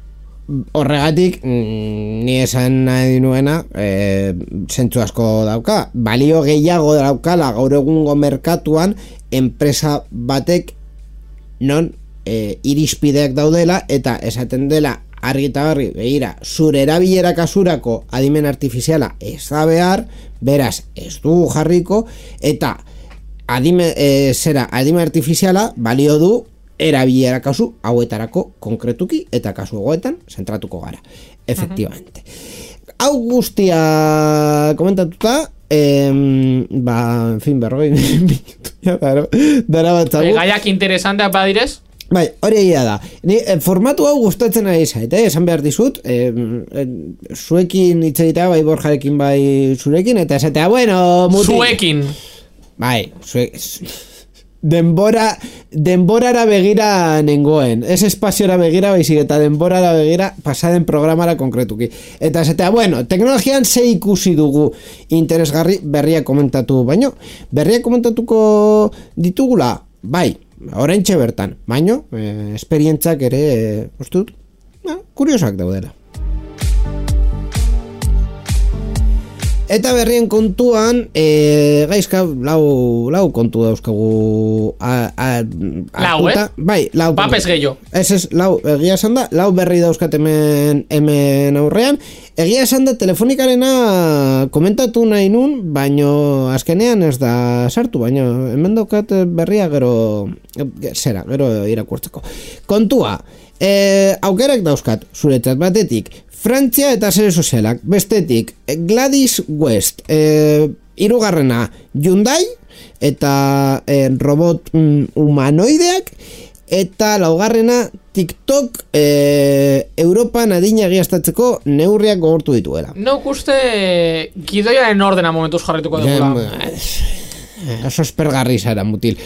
Horregatik, ni esan nahi nuena, e, zentzu asko dauka. Balio gehiago daukala gaur egungo merkatuan enpresa batek non e, irizpideak daudela eta esaten dela argi eta garbi, begira, zure erabilera kasurako adimen artifiziala ez da behar, beraz ez du jarriko, eta adime, e, zera, adimen artifiziala balio du erabilera kasu hauetarako konkretuki eta kasu hauetan zentratuko gara, efectivamente. Uh-huh. Hau guztia komentatuta, em, ba, en fin, berrogei minutu ja, dara, dara batzagu. Gaiak interesanteak badirez? Bai, hori egia da. Ni, eh, formatu hau gustatzen ari zait, eh? Esan behar dizut, eh, eh, zuekin hitz egitea, bai Borjarekin, bai zurekin, eta esatea, bueno, muti. Zuekin. Bai, zuek... Denbora, denborara begira nengoen. Ez espaziora begira, baizik eta denborara begira pasaden programara konkretuki. Eta esatea, bueno, teknologian ze ikusi dugu interesgarri berria komentatu, baino, berria komentatuko ditugula, bai, oraintxe bertan, baino, eh, esperientzak ere, eh, ustut, eh, kuriosak daudela. Eta berrien kontuan, e, gaizka, lau, lau kontu dauzkagu a, a, lau, eh? Bai, lau. Papes gehiago. Ez ez, lau, egia esan da, lau berri dauzkat hemen, hemen aurrean. Egia esan da, telefonikarena komentatu nahi nun, baino azkenean ez da sartu, baino hemen daukat berria gero, zera, gero irakurtzeko. Kontua, e, aukerak dauzkat, zuretzat batetik, Frantzia eta sare sozialak, bestetik Gladys West, e, hirugarrena Hyundai eta e, robot mm, humanoideak, eta laugarrena TikTok e, Europan adina egiaztatzeko neurriak gogortu dituela. Nok uste gidoiaren ordena momentuz jarrituko dugula. Oso espergarri zara, mutil.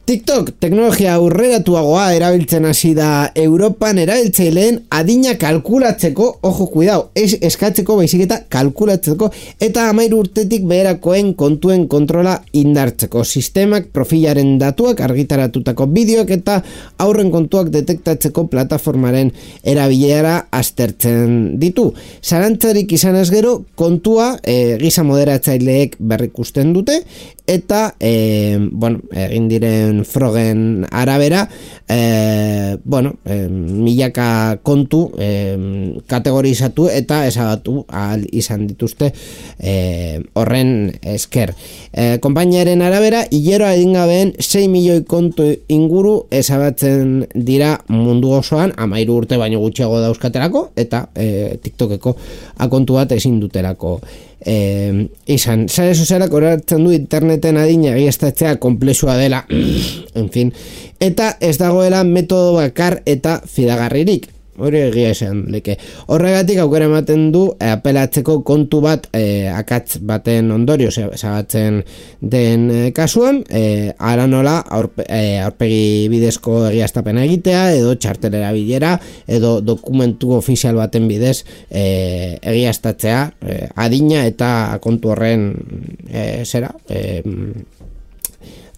TikTok, teknologia aurreratuagoa erabiltzen hasi da Europan erabiltzaileen adina kalkulatzeko, ojo, cuidao, ez eskatzeko baizik eta kalkulatzeko, eta hamairu urtetik beherakoen kontuen kontrola indartzeko. Sistemak profilaren datuak, argitaratutako bideoak eta aurren kontuak detektatzeko plataformaren erabilera aztertzen ditu. Zarantzarik izan ez gero, kontua e, giza moderatzaileek berrikusten dute, eta e, bueno, egin diren frogen arabera, e, bueno, e, milaka kontu e, kategorizatu eta ezagatu ahal izan dituzte e, horren esker. E, konpainiaren arabera, hileroa edingabeen sei milioi kontu inguru ezabatzen dira mundu osoan, hamairu urte baino gutxiago dauzkaterako, eta e, TikTokeko akontu bat ezin dutelako Eh, izan, sare sozialak oratzen du interneten adina egiaztatzea konplexua dela, en fin, eta ez dagoela metodo bakar eta fidagarririk. Hori egia esan leke. Horregatik aukera ematen du eh, apelatzeko kontu bat eh, akatz baten ondorio zabatzen den eh, kasuan, eh, ara nola aurpe, eh, aurpegi bidezko egiaztapena egitea, edo txartelera bilera, edo dokumentu ofizial baten bidez eh, egiaztatzea eh, adina eta kontu horren eh, zera eh,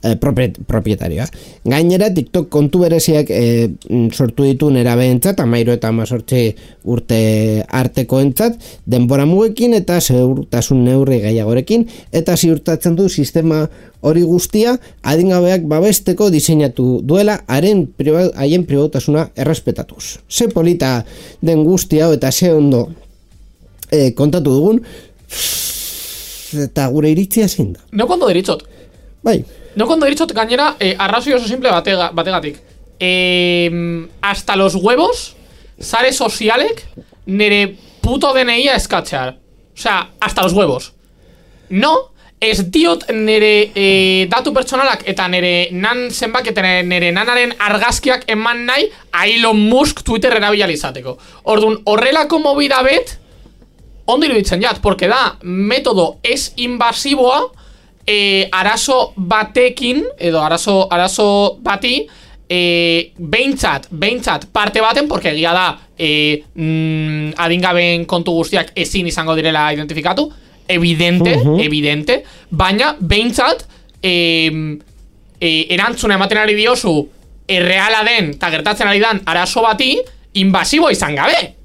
propietarioa. Gainera, TikTok kontu bereziak e, sortu ditu nerabeentzat, amairu eta amazortzi urte arteko entzat, denbora mugekin eta segurtasun neurri gehiagorekin, eta ziurtatzen du sistema hori guztia adingabeak babesteko diseinatu duela haren priba, haien pribatasuna errespetatuz. Ze polita den guztia eta ze ondo e, kontatu dugun, eta gure iritzia zein da. No kondo deritzot. Bai. No kondo deritzot gainera, eh, arrazoi oso simple batega, bategatik. Eh, hasta los huevos, sare sozialek, nere puto D N I-a eskatzear. O sea, hasta los huevos. No, ez diot nere eh, datu pertsonalak eta nere nan zenbak eta nere nanaren argazkiak eman nahi a Elon Musk Twitter erabilizateko. Orduan, horrelako movida bet, ondo iruditzen jat, porque da metodo ez invasiboa, E, arazo batekin, edo arazo, arazo bati, e, behintzat, behintzat parte baten, porque egia da e, mm, adingabeen kontu guztiak ezin izango direla identifikatu, evidente, uh-huh. evidente, baina behintzat e, e, erantzuna ematen ari diozu erreala den, eta gertatzen ari dan arazo bati, invasibo izan gabe.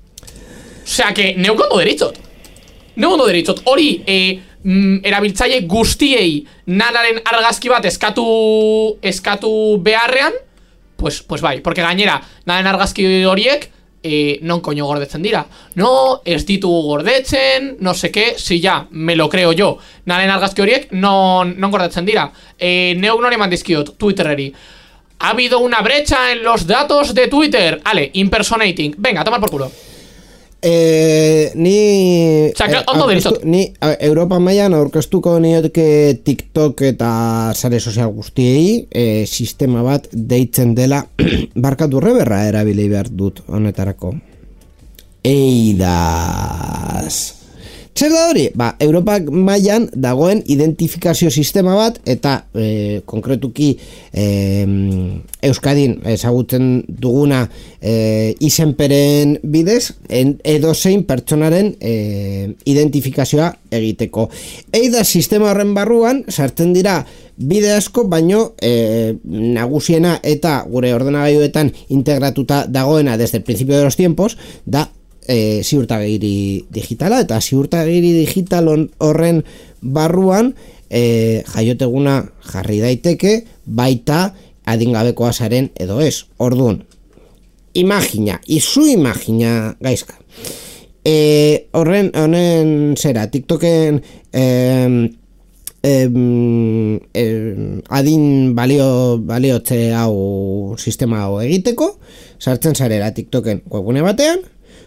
Osea, que neukondo deritzot. Neukondo deritzot. Hori, e, Mm, erabiltzaile guztiei nanaren argazki bat eskatu eskatu beharrean, pues, pues bai, porque gainera nanaren argazki horiek eh, non koño gordetzen dira. No, ez ditugu gordetzen, no sé qué, si ya, me lo creo yo. Nanaren argazki horiek non, non gordetzen dira. Eh, neuk nori eman dizkiot, Twittereri. Ha habido una brecha en los datos de Twitter. Ale, impersonating. Venga, tomar por culo. Eh, ni Txaka, ondo deritzot. Ni a, Europa mailan aurkeztuko nioke TikTok eta sare sozial guztiei eh, sistema bat deitzen dela barkatu reberra erabili behar dut honetarako. Eidas. Zer da hori? Ba, Europak mailan dagoen identifikazio sistema bat eta e, konkretuki e, Euskadin ezagutzen duguna e, izenperen bidez en, edozein pertsonaren e, identifikazioa egiteko. Eida sistema horren barruan sartzen dira bide asko, baino e, nagusiena eta gure ordenagailuetan integratuta dagoena desde el principio de los tiempos da E, ziurtagiri digitala, eta ziurtagiri digital horren barruan e, jaioteguna jarri daiteke baita adingabekoa zaren edo ez. Orduan, imagina, izu imagina gaizka. E, horren, honen zera, TikToken e, e, e, adin balio, baliotze hau sistema hau egiteko, sartzen zarela TikToken webgune batean,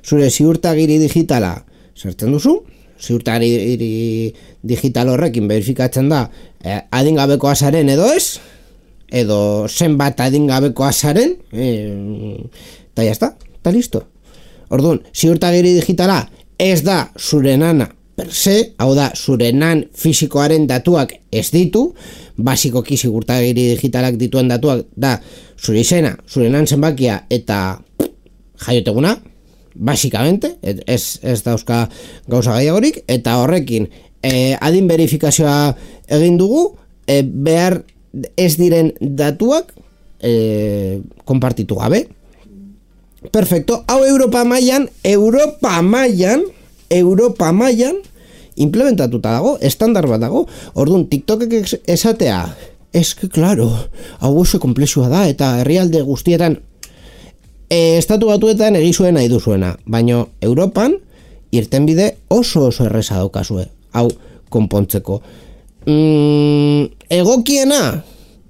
zure ziurtagiri digitala sartzen duzu, ziurtagiri digital horrekin verifikatzen da eh, adingabekoa zaren edo ez, edo zenbat adingabekoa zaren, eta eh, jazta, eta listo. Orduan, ziurtagiri digitala ez da zure nana per se, hau da, zure nan fisikoaren datuak ez ditu, basikoki ziurtagiri digitalak dituen datuak da zure izena, zure nan zenbakia eta jaioteguna, basikamente, ez, ez dauzka gauza gehiagorik, eta horrekin eh, adin verifikazioa egin dugu, eh, behar ez diren datuak eh, konpartitu gabe. Perfecto, hau Europa mailan, Europa mailan, Europa mailan implementatuta dago, estandar bat dago. Orduan, TikTokek esatea, eske, claro, hau oso komplexua da, eta herrialde guztietan E, estatu batuetan egizuen nahi duzuena, baino Europan irtenbide oso oso erreza daukazue, hau konpontzeko. Mm, egokiena,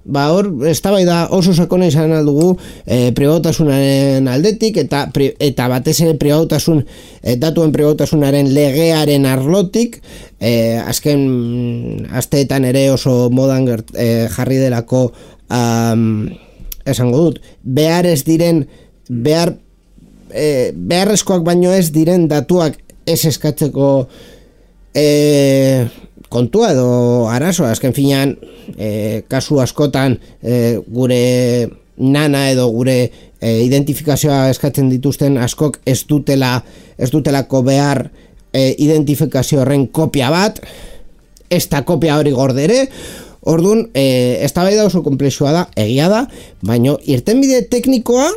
ba hor, eztabaida oso sakona izan aldugu e, pribautasunaren aldetik, eta, pri, eta batez ere pribautasun, e, datuen pribautasunaren legearen arlotik, e, azken asteetan ere oso modan gert, e, jarri delako um, esango dut, behar ez diren behar e, beharrezkoak baino ez diren datuak ez eskatzeko e, kontua edo arazoa, azken finean e, kasu askotan e, gure nana edo gure e, identifikazioa eskatzen dituzten askok ez dutela ez dutelako behar e, identifikazio horren kopia bat, ez da kopia hori gordere. Orduan, e, eztabaida oso komplexua da, egia da, baino irtenbide teknikoa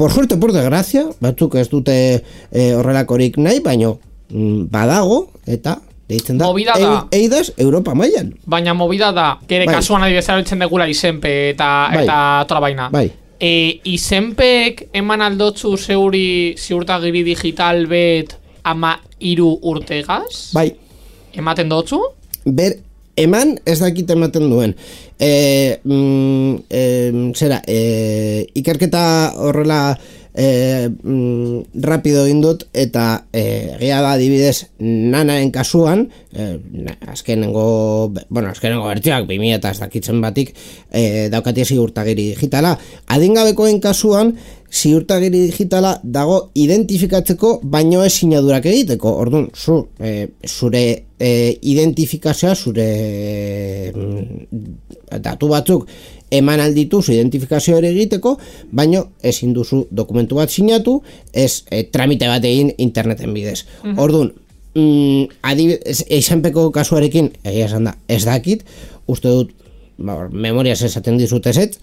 por suerte, por desgracia, batzuk ez dute e, horrelakorik nahi, baino mm, badago, eta deitzen da, da. Eidas Europa mailan. Baina movida da, kere bai. Kasuan adibidez erabiltzen degula izenpe eta, bai. Eta tola baina. Bai. E, izenpek eman aldotzu zeuri ziurtagiri digital bet ama iru urtegaz? Bai. Ematen dotzu? Ber, eman ez dakit ematen duen. E, mm, e, zera, e, ikerketa horrela e, mm, rapido indut eta e, egia da adibidez nanaren kasuan, e, azkenengo, bueno, azkenengo bertioak bi mila eta ez dakitzen batik e, daukatia ziurtagiri digitala. Adingabekoen kasuan ziurtagiri digitala dago identifikatzeko baino ez sinadurak egiteko. Orduan, zu, e, zure e, identifikazioa, zure e, datu batzuk eman alditu zu identifikazio hori egiteko, baino ezin duzu dokumentu bat sinatu, ez e, tramite bat egin interneten bidez. Uh-huh. Orduan, mm, adibidez, izenpeko kasuarekin, egia esan da, ez dakit, uste dut, ba, memoriaz esaten dizut ezetz,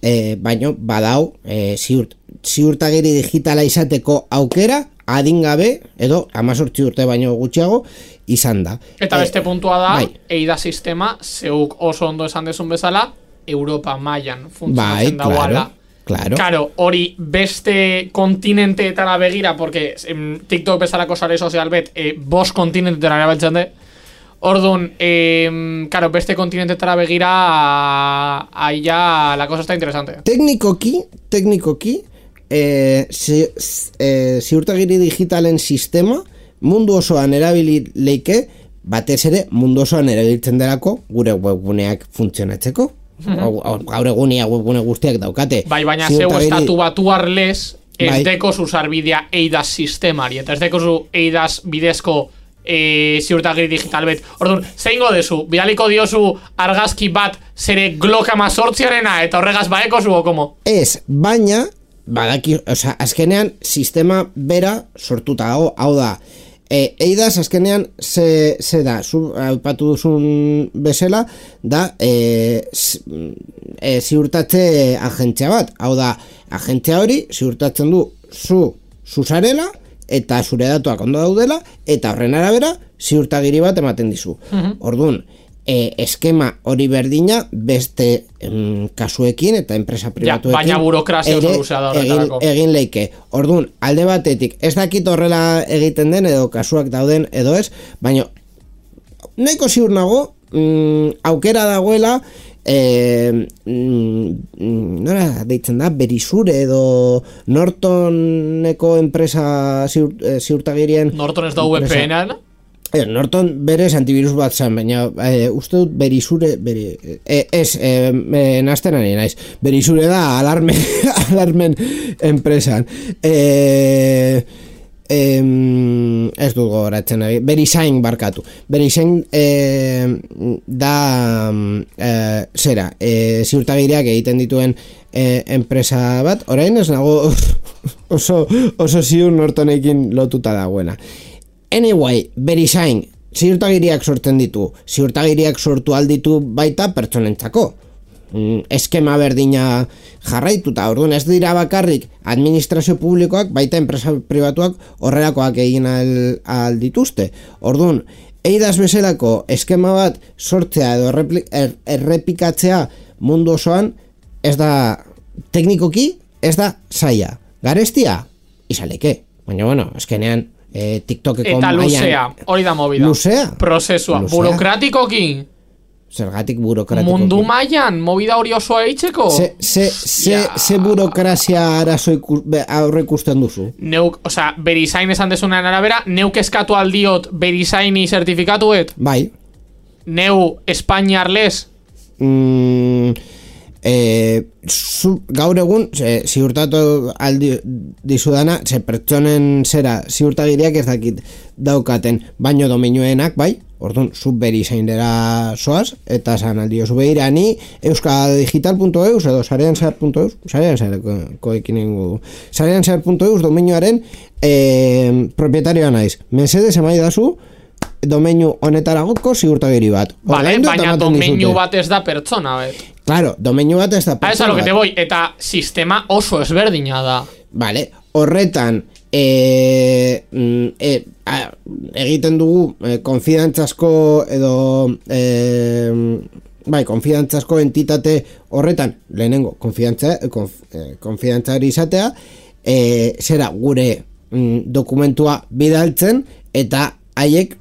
e, baino badau e, ziurt, ziurtagiri digitala izateko aukera adingabe edo hamazortzi urte baino gutxiago izan da. Eta beste e, puntua da, bai. Eida sistema zeuk oso ondo esan dezun bezala Europa mailan funtzionatzen bai, dagoela. Claro. Claro, hori beste kontinenteetara begira, porque em, TikTok bezalako sare sozial bet e, bost kontinentetara erabiltzen de. Orduan, eh, claro, beste kontinentetara begira, ahí ya la cosa está interesante. Teknikoki, teknikoki, e, zi, e, ziurtagiri digitalen sistema mundu osoan erabili leike, batez ere mundu osoan erabiltzen delako gure webguneak funtzionatzeko. Mm-hmm. Gaur egunia webgune guztiak daukate. Bai, baina zeu estatu batuarlez ez bai. Deko zu sarbidea eidas sistemari, eta ez deko zu eidas bidezko e, ziurtagiri digital bet. Orduan, zeingo dezu, bidaliko diozu argazki bat zere Glock amazortziarena eta horregaz baeko zu, o komo? Ez, baina, badaki, oza, azkenean sistema bera sortuta dago, hau da, E, eidas azkenean ze, ze da, zu aipatu duzun bezala, da e, e, ziurtatze agentzia bat. Hau da, agentzia hori ziurtatzen du zu zuzarela eta zure datuak ondo daudela, eta horren arabera ziurtagiri bat ematen dizu. Uh-huh. Orduan, e, eskema hori berdina beste em, kasuekin eta enpresa pribatuekin ja, baina burokrazia oso luzea da horretarako. Egin, egin leike. Orduan, alde batetik, ez dakit horrela egiten den edo kasuak dauden edo ez, baina nahiko ziur nago, mm, aukera dagoela e, mm, nora deitzen da, Berisure edo Nortoneko enpresa ziur, e, ziurtagirien Norton ez da V P N-a? Eh, Norton berez antivirus bat zen, baina eh, uste dut Berisure beri, eh, ez, eh, eh, nazten ari naiz, Berisure da alarmen, alarmen enpresan. Eh, eh, ez dut gogoratzen ari, Verisign barkatu. Verisign eh, da eh, zera, eh, ziurtagiriak egiten dituen eh, enpresa bat, orain ez nago oso, oso ziur Nortonekin lotuta dagoena. Anyway, Verisign, ziurtagiriak sortzen ditu, ziurtagiriak sortu alditu baita pertsonentzako. Mm, eskema berdina jarraituta, orduan ez dira bakarrik administrazio publikoak, baita enpresa pribatuak horrelakoak egin aldituzte. Orduan, eidas bezalako eskema bat sortzea edo er, errepikatzea mundu osoan, ez da teknikoki, ez da zaila. Garestia, izaleke. Baina bueno, eskenean, Eh, TikTokeko eta luzea, hori da movida. Luzea? Prozesua, luzea? Burokratikoki. Zergatik burokratikoki? Mundu mailan, movida hori osoa eitzeko? Ze, ze, ze, ze burokrazia arazo aurre ikusten duzu? Neuk, oza, Verisign esan desunean arabera, neuk eskatu aldiot Verisigni zertifikatuet? Bai. Neu Espainiarles? Mm, eh, zu, gaur egun ze, ziurtatu aldi dizudana, ze pertsonen zera ziurtagiriak ez dakit daukaten, baino domeinuenak bai, orduan zu Verisainera soaz, eta zan aldio zu behira ni euskadigital punto eus edo sareanzar punto eus, sareanzarko ekin ingo sareanzar punto eus domeinuaren eh, propietarioa naiz, mesedez emai dazu domeinu honetaragoko ziurtagiri bat. Vale, baina domeinu bat ez da pertsona, bet. Claro, domeinu bat ez da pertsona. Ah, eso lo que te voy, eta sistema oso ezberdina da. Vale, horretan e, e, a, egiten dugu e, konfidantzazko edo e, bai, konfidantzazko entitate horretan, lehenengo konfidantza, konf, e, konfidantzari izatea, e, zera gure mm, dokumentua bidaltzen eta haiek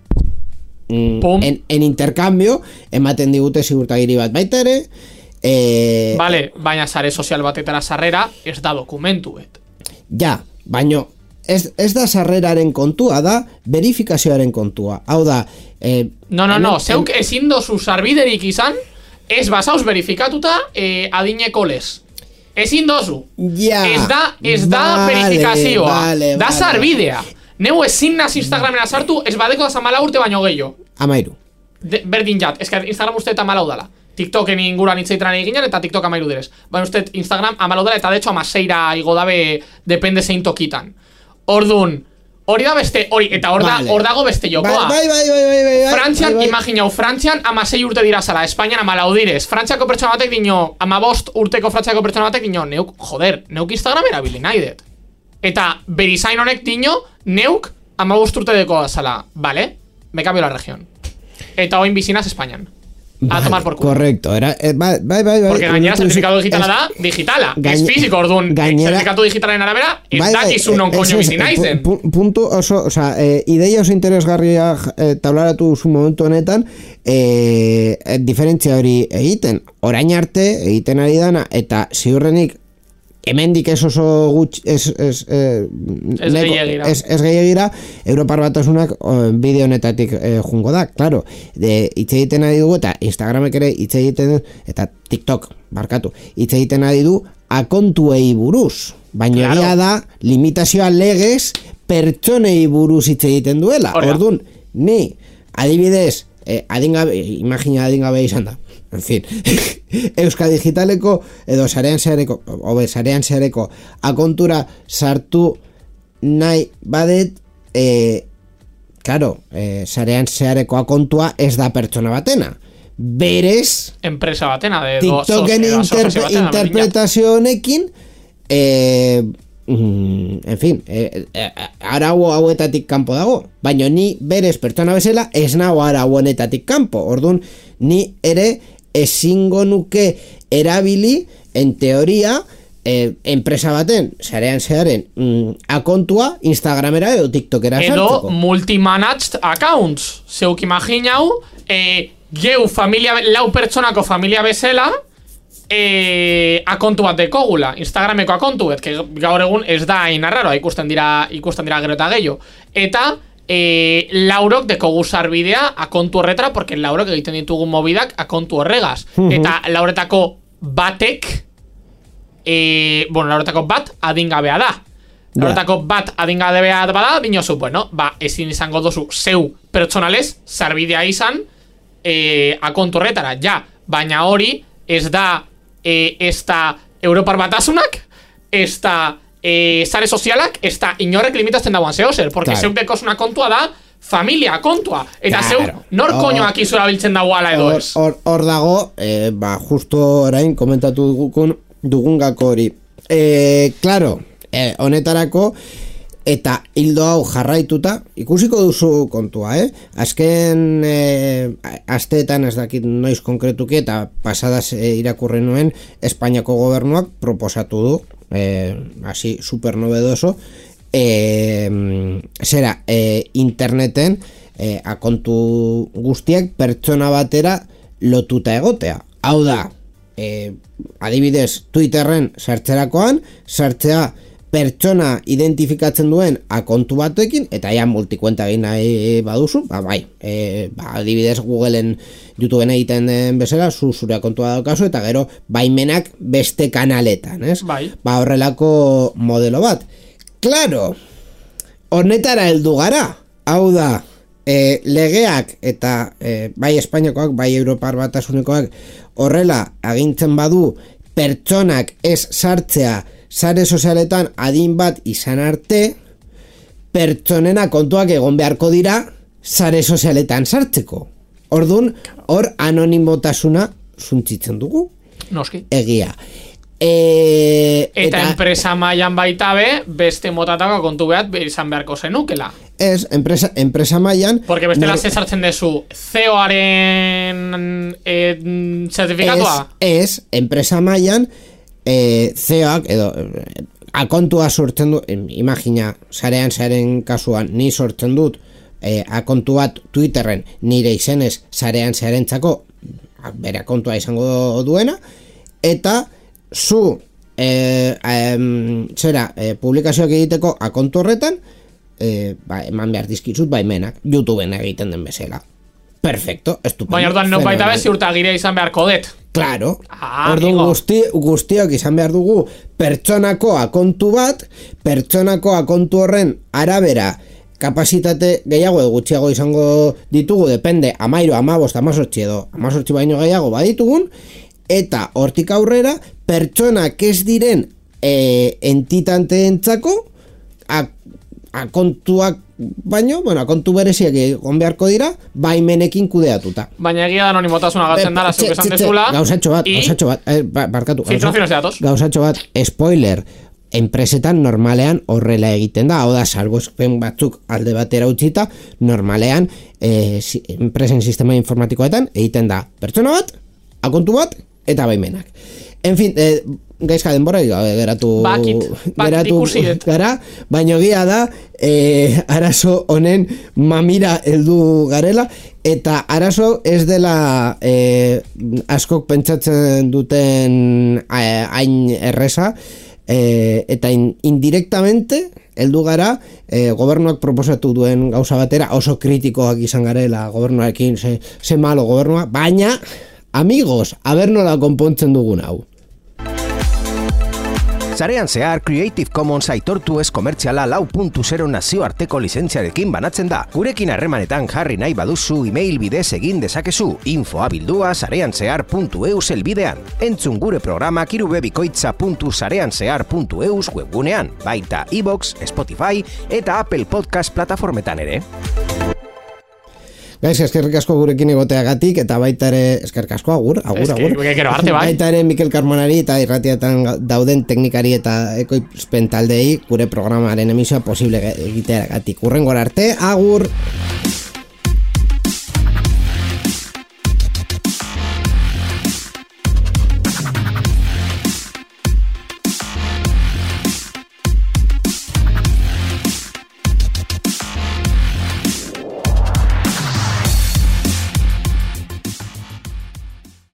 En, en intercambio ematen digute ziurtagiri bat baita ere eh, vale, baina sare sozial batetara sarrera ez da dokumentuet ja, baino ez, ez da sarreraren kontua, da verifikazioaren kontua, hau da eh, no, no, no, zeuk en... ezin dozu sarbiderik izan ez basauz verifikatuta eh, adineko les ezin dozu ja, ez da, ez da vale, verifikazioa vale, da vale. Sarbidea neu ezin naz Instagramena sartu ez badeko da zamala urte baino gehiago amairu De, berdin jat, ez que Instagram uste eta amalau dala TikToken inguruan itzaitran eginen eta TikTok amairu direz baina uste Instagram amalau dala eta de hecho amaseira igo dabe depende zein tokitan Ordun, hori da beste, hori, eta hor da, hor dago beste jokoa bai, bai, bai, bai, bai, Frantzian, bai, bai. imaginau, Frantzian amasei urte dira zala, Espainian amalau direz Frantziako pertsona batek dino, amabost urteko Frantziako pertsona batek dino, neuk, joder, neuk Instagram erabili nahi dut Eta Verisign honek dino, neuk amabost urte deko zala, vale? Me cambio la región Eta oin bizinaz Espainian A vale, tomar por culo correcto, era, eh, bai, bai, bai Porque gainera certificado digitala da, digitala Ez fiziko, orduan, certificatu digitalen arabera Ez bai, dakizu non koño bizi naizen Punto oso, o sea, eh, ideia oso interesgarria eh, tablaratu zu momentu honetan eh, diferentzia hori egiten Orain arte egiten ari dana Eta ziurrenik hemendik ez oso gutx ez ez eh, ez gehiagira ez, ez gehiagira Europar Batasunak bideo honetatik eh, jungo da, claro, de hitz egiten ari dugu eta Instagramek ere hitz egiten eta TikTok, barkatu, hitz egiten ari du akontuei buruz, baina claro. Da limitazioa legez pertsonei buruz hitz egiten duela. Orduan, ni adibidez, eh, adingabe, imagina adingabe izan da. En fin, Euskal Digitaleko edo sarean zehareko, obe, sarean zehareko akontura sartu nahi badet, e, claro, e, sarean zehareko akontua ez da pertsona batena. Berez, enpresa batena, de TikToken interpre, interpretazio honekin, e, en fin, e, e, arau hauetatik kanpo dago, baina ni berez pertsona bezala ez nago arau honetatik kanpo. Orduan, ni ere ezingo nuke erabili, en teoria, eh, enpresa baten, sarean zearen, mm, akontua Instagramera edo TikTokera sartzeko. Edo multi-managed accounts. Zeuk imaginau, eh, geu familia, lau pertsonako familia bezala, eh, akontu bat dekogula, Instagrameko akontu bet, que gaur egun ez da hain arraroa, ikusten dira, ikusten dira gero eta gehiago. Eta E, laurok dekogu sarbidea akontu horretara, porque laurok egiten ditugun mobidak akontu horregaz. Uh-huh. Eta lauretako batek e, bueno, lauretako bat adingabea da. Lauretako yeah. bat adingabea bada, dinozu, bueno, ba, ezin izango dozu zeu pertsonalez sarbidea izan e, akontu horretara, ja. Baina hori ez da e, ez da Europar Batasunak, ez da Eh, sare sozialak, ez da inorrek limitatzen dagoan zehozer, porque claro. Zeuk dekozuna kontua da familia kontua, eta claro. Zeuk nor koñoak izura biltzen dagoala edo ez. Hor, hor dago, eh, ba, justo orain komentatu dugun, dugun gako hori. Eh, claro, eh, honetarako, eta hildo hau jarraituta, ikusiko duzu kontua, eh? Azken eh, asteetan ez dakit noiz konkretuki, eta pasadas eh, irakurri nuen, Espainiako gobernuak proposatu du, Eh, así super novedoso, eh, zera eh, interneten eh, akontu guztiak pertsona batera lotuta egotea. Hau da, eh, adibidez Twitterren sartzerakoan, sartzea pertsona identifikatzen duen akontu batekin, eta ja multikuenta egin nahi baduzu, ba bai, e, ba, adibidez Googleen, YouTubeen egiten den bezala, zu zure akontua daukazu, eta gero baimenak beste kanaletan, ez? Bai. Ba horrelako modelo bat. Claro, honetara heldu gara, hau da, e, legeak eta e, bai Espainiakoak, bai Europar Batasunekoak horrela agintzen badu pertsonak ez sartzea sare sozialetan adin bat izan arte, pertsonena kontuak egon beharko dira sare sozialetan sartzeko. Orduan, hor anonimotasuna zuntzitzen dugu. Noski. Egia. E, eta, eta enpresa mailan baita be, beste motatako kontu behat izan beharko zenukela. Ez, enpresa, enpresa mailan... Porque bestela nor... sartzen dezu C E O-aren eh, zertifikatua? Ez, ez, enpresa mailan E, C E Oak edo akontua sortzen du, imagina sarean zaren kasuan ni sortzen dut e, akontu bat Twitterren nire izenez sarean zarentzako bere akontua izango duena, eta zu e, e, zera e, publikazioak egiteko akontu horretan e, ba, eman behar dizkizut baimenak YouTubeen egiten den bezala. Perfecto, estupendo. Baina orduan non baita bez ziurtagiria izan beharko det. Claro, ah, orduan guzti, guztiok izan behar dugu pertsonako akontu bat, pertsonako akontu horren arabera kapasitate gehiago edo gutxiago izango ditugu, depende, amairo, amabost, amazortzi edo amazortzi baino gehiago baditugun, eta hortik aurrera, pertsonak ez diren e, entitanteentzako akontuak baino, bueno, kontu bereziak egon beharko dira, baimenekin kudeatuta. Baina egia da anonimotasuna galtzen dara, zuk esan dezula. Gauzatxo bat, gauzatxo bat, eh, barkatu. Filtraciones de datos. Gauzatxo bat, spoiler, enpresetan normalean horrela egiten da, hau da, salbuespen batzuk alde batera utzita, normalean, eh, enpresen sistema informatikoetan egiten da pertsona bat, akontu bat, eta baimenak. En fin, eh, gaizka denbora geratu bakit, bakit geratu gara, baina egia da eh, arazo honen mamira heldu garela, eta arazo ez dela eh, askok pentsatzen duten hain erreza, e, eta in, indirectamente heldu gara e, gobernuak proposatu duen gauza batera, oso kritikoak izan garela gobernuarekin, ze, ze malo gobernua, baina amigos, aber nola konpontzen dugun hau. Sarean zehar Creative Commons aitortu ez komertziala lau puntu zero nazioarteko lizentziarekin banatzen da. Gurekin harremanetan jarri nahi baduzu email bidez egin dezakezu, infoa bildua sareanzehar puntu eus elbidean. Entzun gure programak irubebikoitza puntu sareanzehar puntu eus webgunean, baita iVoox, Spotify eta Apple Podcast plataformetan ere. Gaiz, eskerrik asko gurekin egoteagatik, eta baita ere, eskerrik asko, agur, agur, agur. Arte, bai. Baita ere Mikel Carmonari eta irratietan dauden teknikari eta ekoizpen taldei gure programaren emisioa posible egiteagatik. Hurrengora arte, agur!